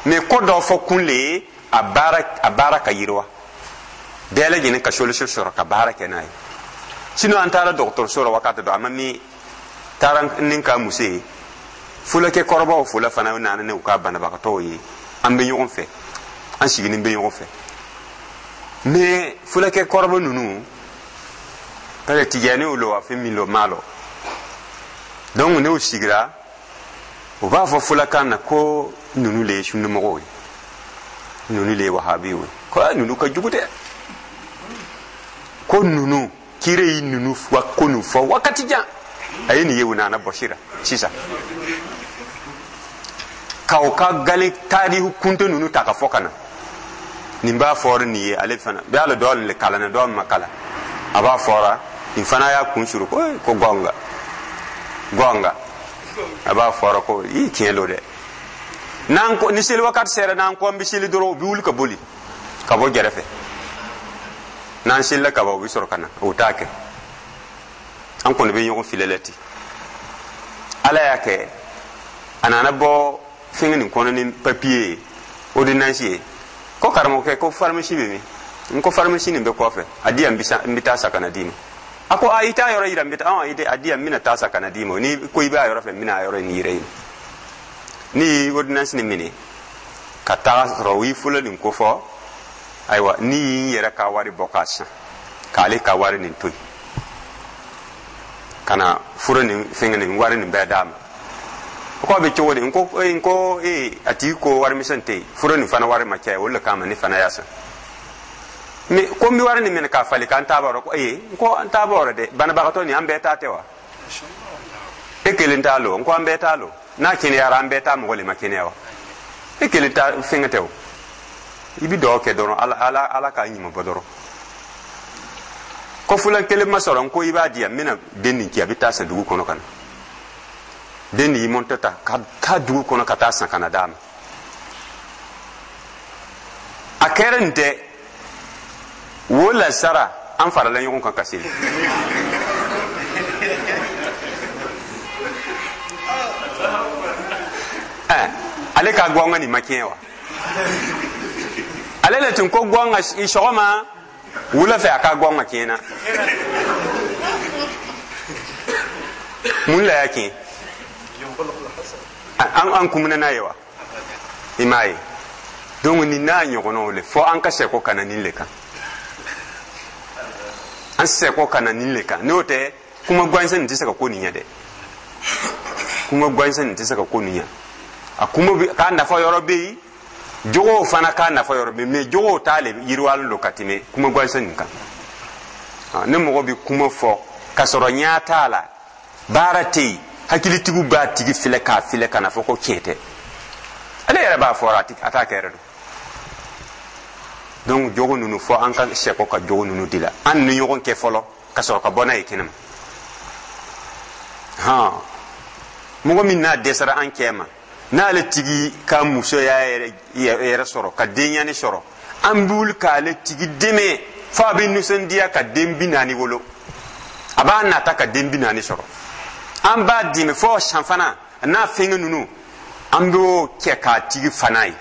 Mais ko dɔ fɔ kun le ye a baara ka yiriwa, bɛɛ lajɛlen ka solution sɔrɔ ka baara kɛ n'a ye. Sinon, an taara dɔgɔtɔrɔso la wakati dɔ, a ma min taara ni ka muso ye, fulakɛ kɔrɔbaw fula fana nana ni u ka banabagatɔw ye. An bɛ ɲɔgɔn fɛ, an sigilen bɛ ɲɔgɔn fɛ. Mais fulakɛ kɔrɔba ninnu, parce que tijaniw lo wa, fɛn min lo, maa lo. Donc n'u sigira, u b'a fɔ fulakan na ko ninnu le ye sunnamɔgɔw ye, ninnu le ye wahabiw ye, ko ninnu ka jugu dɛ, ko ninnu kire yi ninnu wa, ko ninnu fɔ wakati jan a ye nin ye, u nana bɔsira sisan k'aw ka gale tarihu kunto ninnu ta ka fɔ ka na. Nin b'a fɔra nin ye, ale fana bɛ ala dɔ le kalan na, dɔ ma kalan, a b'a fɔra nin fana y'a kun suru ko gɔnga gɔnga. A b'a fɔra ko i tiɲɛ don dɛ. N'an ko ni seli wakati sera, n'an ko an bɛ seli dɔrɔn, u bɛ wuli ka boli ka bɔ gɛrɛfɛ. N'an selila ka ban, u bɛ sɔrɔ ka na. O t'a kɛ, an kɔni bɛ ɲɔgɔn filɛ la ten. Ala y'a kɛ, a nana bɔ fɛngɛ nin kɔnɔ ni papiye ye, ordonnance ye, ko karamɔgɔkɛ, ko pharmacie bɛ min? N ko pharmacie nin bɛ kɔfɛ, a di yan, n bɛ taa san ka na d'i ma. A ko a, i t'a yɔrɔ yira, n bɛ taa. I tɛ a di yan, n bɛna taa san ka na d'i ma. Ni ko i b'a yɔrɔ fɛ, n bɛna a yɔrɔ nin yira i ma. Ne ye ordonnance nin minɛ ka taga sɔrɔ u ye fɔlɔ nin ko fɔ. Ayiwa, ni y'i yɛrɛ ka wari bɔ k'a san, k'ale ka wari nin to yen ka na fura nin fɛngɛ nin wari nin bɛɛ d'a ma. O ko a bɛ cogo di? N ko ee, a tigi ko warimisɛn tɛ yen, fura nin fana wari ma caya, o de kama ne fana y'a san. Mais ko n bɛ wari nin minɛ k'a falen k'an t'a b'a rɔ. Ko ee, n ko an t'a b'a rɔ dɛ, banabagatɔ nin an bɛɛ ta tɛ wa? E kelen t'a lo. N ko an bɛɛ t'a lo. N'a kɛnɛyara, an bɛɛ t'a mɔgɔ le ma kɛnɛya wa? E kelen ta fɛngɛ tɛ o. I bɛ dugawu kɛ dɔrɔn, Ala, Ala, Ala k'a ɲuman bɔ dɔrɔn. Ko fulan kelen ma sɔrɔ. N ko i b'a di yan, n bɛna den nin ci, a bɛ taa san dugu kɔnɔ ka na. Den nin y'i mɔntɔ ta ka taa dugu kɔnɔ ka taa san ka na d'a ma. A kɛra nin tɛ wo lasara, an farala ɲɔgɔn kan ka seli. Ale ka gɔngɔ nin ma tiɲɛ wa? Ale le tun ko gɔngɔ sɔgɔma, wula fɛ a ka gɔngɔ tiɲɛna. Mun la y'a tiɲɛ? An kumuna n'a ye wa? I m'a ye. Donc nin n'a ɲɔgɔnnaw le fo an ka sɛko ka na nin le kan, an sɛko ka na nin le kan. N'o tɛ, kuma gansan nin tɛ se ka ko nin ɲɛ dɛ. Kuma gansan nin tɛ se ka ko nin ɲɛ. A kuma k'a nafa yɔrɔ bɛ yen, jogow fana k'a nafa yɔrɔ bɛ yen, mais jogow t'ale yiriwalen don ka tɛmɛ kuma gansan nin kan. Ne mɔgɔ bɛ kuma fɔ ka sɔrɔ ɲɛ t'a la, baara tɛ yen, hakilitigiw b'a tigi filɛ k'a filɛ ka na fɔ ko tiɲɛ tɛ. Ale yɛrɛ b'a fɔ, a t'a kɛ yɛrɛ don. Donc jogo ninnu, fɔ an ka sɛkɔ ka jogo ninnu di la an ni ɲɔgɔn kɛ fɔlɔ ka sɔrɔ ka bɔ n'a ye kɛnɛma. Han, mɔgɔ min n'a dɛsɛra an cɛ ma, n'ale tigi ka musoya yɛrɛ sɔrɔ ka denɲani sɔrɔ, an bɛ wuli k'ale tigi dɛmɛ fo a bɛ nisɔndiya ka den 40 wolo. A b'a nata ka den 40 sɔrɔ, an b'a dɛmɛ fo san fana n'a fɛngɛ ninnu, an b'o kɛ k'a tigi fana ye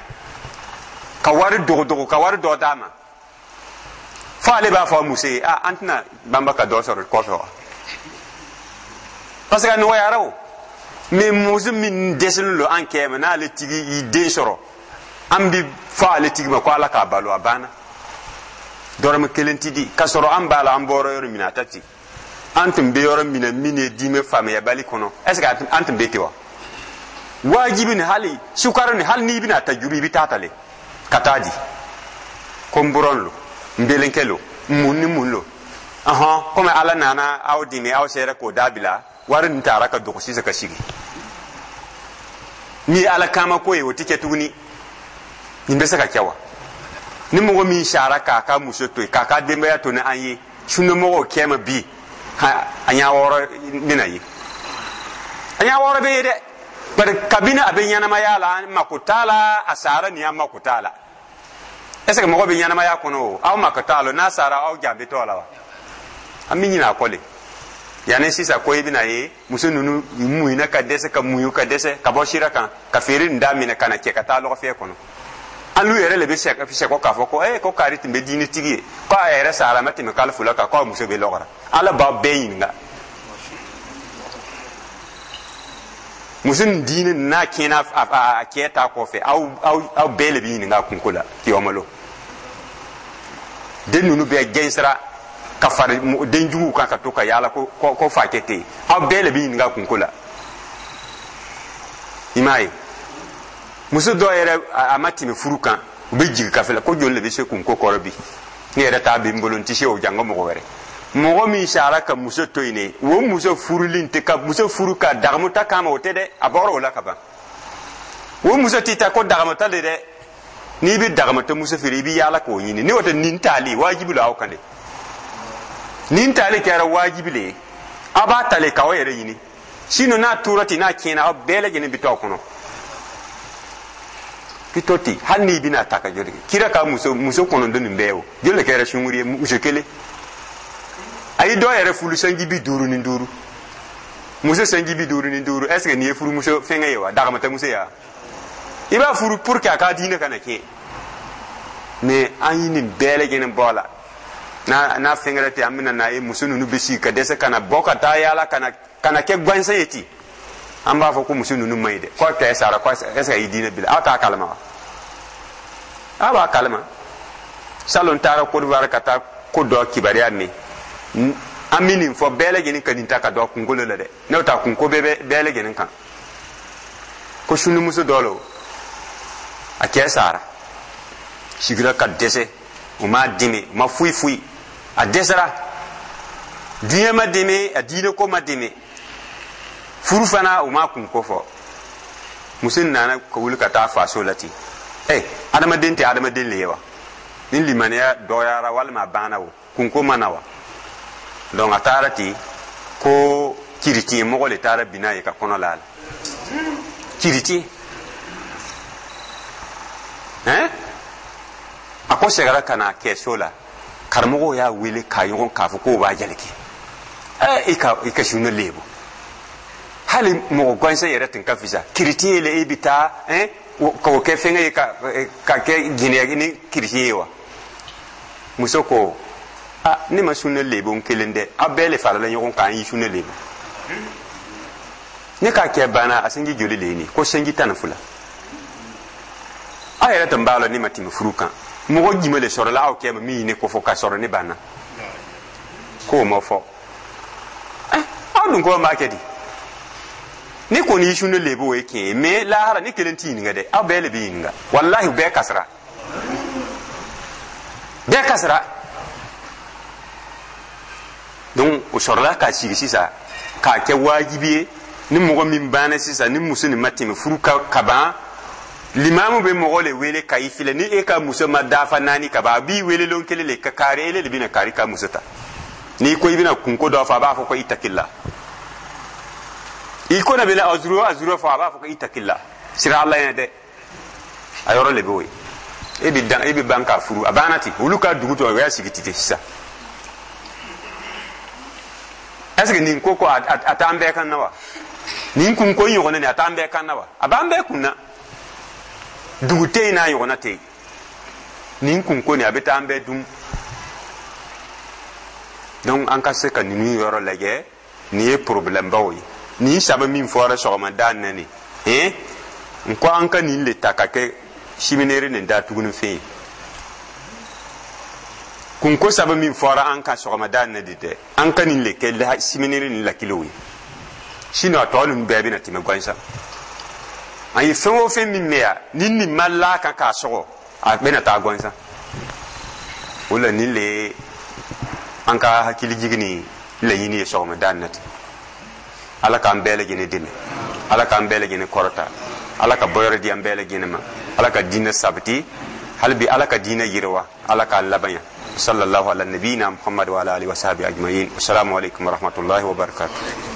ka wari dogodogo, ka wari dɔ d'a ma, fo ale b'a fɔ a muso ye: a an tɛna banba ka dɔ sɔrɔ kɔfɛ wa? Parce que a nɔgɔyara o. Mais muso min dɛsɛlen don an kɛ ma, n'ale tigi y'i den sɔrɔ, an bɛ fɔ ale tigi ma ko Ala k'a balo, a banna, dɔrɔmɛ kelen ti di. K'a sɔrɔ an b'a la, an bɔra yɔrɔ min na, a ta ten. An tun bɛ yɔrɔ min na, min ye diinɛ faamuyabali kɔnɔ, est ce que an tun bɛ ten wa? Wajibi ni hali sukaro ni hali n'i bɛna ta juru, i bɛ taa ta le ka taa di ko n buran lo, n belenkɛ lo, mun ni mun lo. Ɔhɔn, komi Ala nana aw dɛmɛ, aw sera k'o dabila, wari nin taara ka dogo sisan ka sigi. Ni ye Ala kama ko ye, o ti kɛ tuguni. Nin bɛ se ka kɛ wa? Ni mɔgɔ min sara k'a ka muso to yen, k'a ka denbaya to ni an ye, sunnamɔgɔw kɛ ma bi, a ɲɛ wɔɔrɔ bɛna ye, a ɲɛ wɔɔrɔ bɛ ye dɛ. Bari kabini a bɛ ɲɛnamaya la, an mako t'a la. A sara nin, an mako t'a la. Est ce que mɔgɔ bɛ ɲɛnamaya kɔnɔ o, aw mako t'a la, n'a sara aw jaabi t'o la wa? An bɛ ɲinɛ a kɔ le. Yanni sisan ko i bɛna ye muso ninnu muɲuna ka dɛsɛ, ka muɲu ka dɛsɛ ka bɔ sira kan, ka feere nin daminɛ ka na cɛ ka taa lɔgɔfiyɛ kɔnɔ. An n'u yɛrɛ le bɛ sɛkɔ k'a fɔ ko ee, ko kari tun bɛ diinɛtigi ye, ko a yɛrɛ sara a ma tɛmɛ kalo 2 kan, k'a muso bɛ lɔgɔra. Ala b'aw bɛɛ ɲininka. Muso nin diinɛ n'a tiɲɛna a cɛ ta kɔfɛ, aw bɛɛ le bɛ ɲininka a kunko la kiyɔmalo. Den ninnu bɛɛ gɛnsira ka fari den juguw kan ka to ka yaala ko fa kɛ ten, aw bɛɛ le bɛ ɲininka a kunko la. I m'a ye, muso dɔw yɛrɛ a ma tɛmɛ furu kan, u bɛ jigin kafe la ko joli le bɛ se kunko kɔrɔ bi, ne yɛrɛ t'a bɛ n bolo, n tɛ se o janko mɔgɔ wɛrɛ. Mɔgɔ min sara ka muso to yen ne, o muso furulen tɛ ka muso furu ka dagamuta kama, o tɛ dɛ, a bɔra o la ka ban. O muso tɛ taa ko dagamuta de dɛ. N'i bɛ dagamuta muso feere, i bɛ yaala k'o ɲini. N'o tɛ, nin taali wajibi la aw kan de. Nin taali kɛra wajibi le ye, aw b'a ta le k'aw yɛrɛ ɲini. Sinon n'a tora ten, n'a tiɲɛna, aw bɛɛ lajɛlen bɛ to aw kɔnɔ. Bɛ to ten, hali n'i bɛna ta ka joli kɛ. Kira ka muso 9 nin bɛɛ o joli de kɛra sunkuru ye? Muso kelen. A ye dɔw yɛrɛ furu sanji 55, muso sanji 55. Est ce que nin ye furumuso fɛngɛ ye wa? Dagamata muso ya, i b'a furu pour que a ka diinɛ kana tiɲɛ. Mais an ye nin bɛɛ lajɛlen bɔ a la. N'a fɛngɛra ten, an bɛna n'a ye muso ninnu bɛ sigi ka dɛsɛ ka na bɔ ka taa yaala ka na kɛ gansan ye ten. An b'a fɔ ko muso ninnu man ɲi dɛ, ko kɛ sara, ko est ce que i diinɛ bila, aw t'a kalama wa? Aw b'a kalama. Salon taara Côte d'Ivoire ka taa ko dɔ kibaruya mɛn. An bɛ nin fɔ bɛɛ lajɛlen ka nin ta ka dɔn kunkolo la dɛ, n'o ta kunko bɛɛ bɛɛ lajɛlen kan. Ko sunimuso dɔ lo, a cɛ sara, sigira ka dɛsɛ, u m'a dɛmɛ, u ma foyi foyi, a dɛsɛra, diɲɛ ma dɛmɛ, a diinɛ ko ma dɛmɛ, furu fana u m'a kun ko fɔ. Muso nana ka wuli ka taa faso la ten. Ɛ, adamaden tɛ adamaden le ye wa? Ni limaniya dɔgɔyara walima a banna, o kunko ma na wa? Donc a taara ten ko kiritiɲɛ mɔgɔ le taara bin n'a ye ka kɔnɔ la a la. Kiritiɲɛ hein. A ko seginna ka na kɛso la, karamɔgɔw y'a wele k'a ɲɔgɔn k'a fɔ k'o b'a jalaki. Ɛ, i ka sunne lebu, hali mɔgɔ gansan yɛrɛ tun ka fisa kiritiɲɛ le. E bɛ taa hein k'o kɛ fɛngɛ ye ka kɛ jɛnɛya ni kiritiɲɛ ye wa? Muso ko: "A, ne ma sunne lebu n kelen dɛ, aw bɛɛ le farala ɲɔgɔn kan, an y'i sunne lebu." Ne k'a kɛ banna, a sinji joli le ye nin? Ko sinji 12. Aw yɛrɛ tun b'a la, ne ma tɛmɛ furu kan, mɔgɔ jumɛn le sɔrɔla aw kɛ ma min ye ne kofɔ ka sɔrɔ ne banna? K'o ma fɔ. Aw dun ko b'a kɛ di? Ne kɔni y'i sunne lebu, o ye tiɲɛ ye, mais lahara ne kelen t'i ɲininka dɛ, aw bɛɛ le bɛ ɲininka. Walahi, bɛɛ kasara, bɛɛ kasara. Donc o sɔrɔla k'a sigi sisan k'a kɛ wajibi ye, ni mɔgɔ min banna sisan, ni muso nin ma tɛmɛ furu ka ban, limamu bɛ mɔgɔ le wele ka i filɛ. Ni e ka muso ma dafa naani ka ban, a b'i wele lon kelen le ka kaari, ele de bɛna kaari ka muso ta. N'i ko i bɛna kunko dɔ fɔ, a b'a fɔ ko itakila. I ko na bɛna azuru azuru fɔ, a b'a fɔ ko itakila, sira Ala ɲɛ dɛ. A yɔrɔ le b'o ye. E bɛ dan, e bɛ ban k'a furu, a banna ten. Olu ka dugu tɔ, o y'a sigi ten sisan. Est ce que nin ko a t'an bɛɛ kan na wa? Nin kunko in ɲɔgɔnna nin, a t'an bɛɛ kan na wa? A b'an bɛɛ kun na. Dugu tɛ yen n'a ɲɔgɔnna tɛ yen. Nin kunko nin, a bɛ taa an bɛɛ dun. Donc an ka se ka ninnu yɔrɔ lajɛ. Nin ye problème baw ye. Nin saba min fɔra sɔgɔmada na nin, n ko an ka nin le ta ka kɛ séminaire nin da tuguni fɛn ye. Kunko saba min fɔra an ka sɔgɔmada na de dɛ, an ka nin le kɛ séminaire nin lakilew ye, sinon a tɔ ninnu bɛɛ bɛna tɛmɛ gansan. An ye fɛn o fɛn min mɛn yan, ni nin ma la kan k'a sɔgɔ, a bɛna taa gansan. O la, nin le ye an ka hakili jigin ni laɲini ye sɔgɔmada na ten. Ala k'an bɛɛ lajɛlen dɛmɛ, Ala k'an bɛɛ lajɛlen kɔrɔta, Ala ka bɔyɔrɔ di an bɛɛ lajɛlen ma, Ala ka diinɛ sabati hali bi, Ala ka diinɛ yiriwa, Ala k'a labanya. Sallallahu ala nabiyina Muhammad wa ala alihi wa sahbihi ajma'in. Assalamu alaikum wa rahmatullahi wa barakatuh.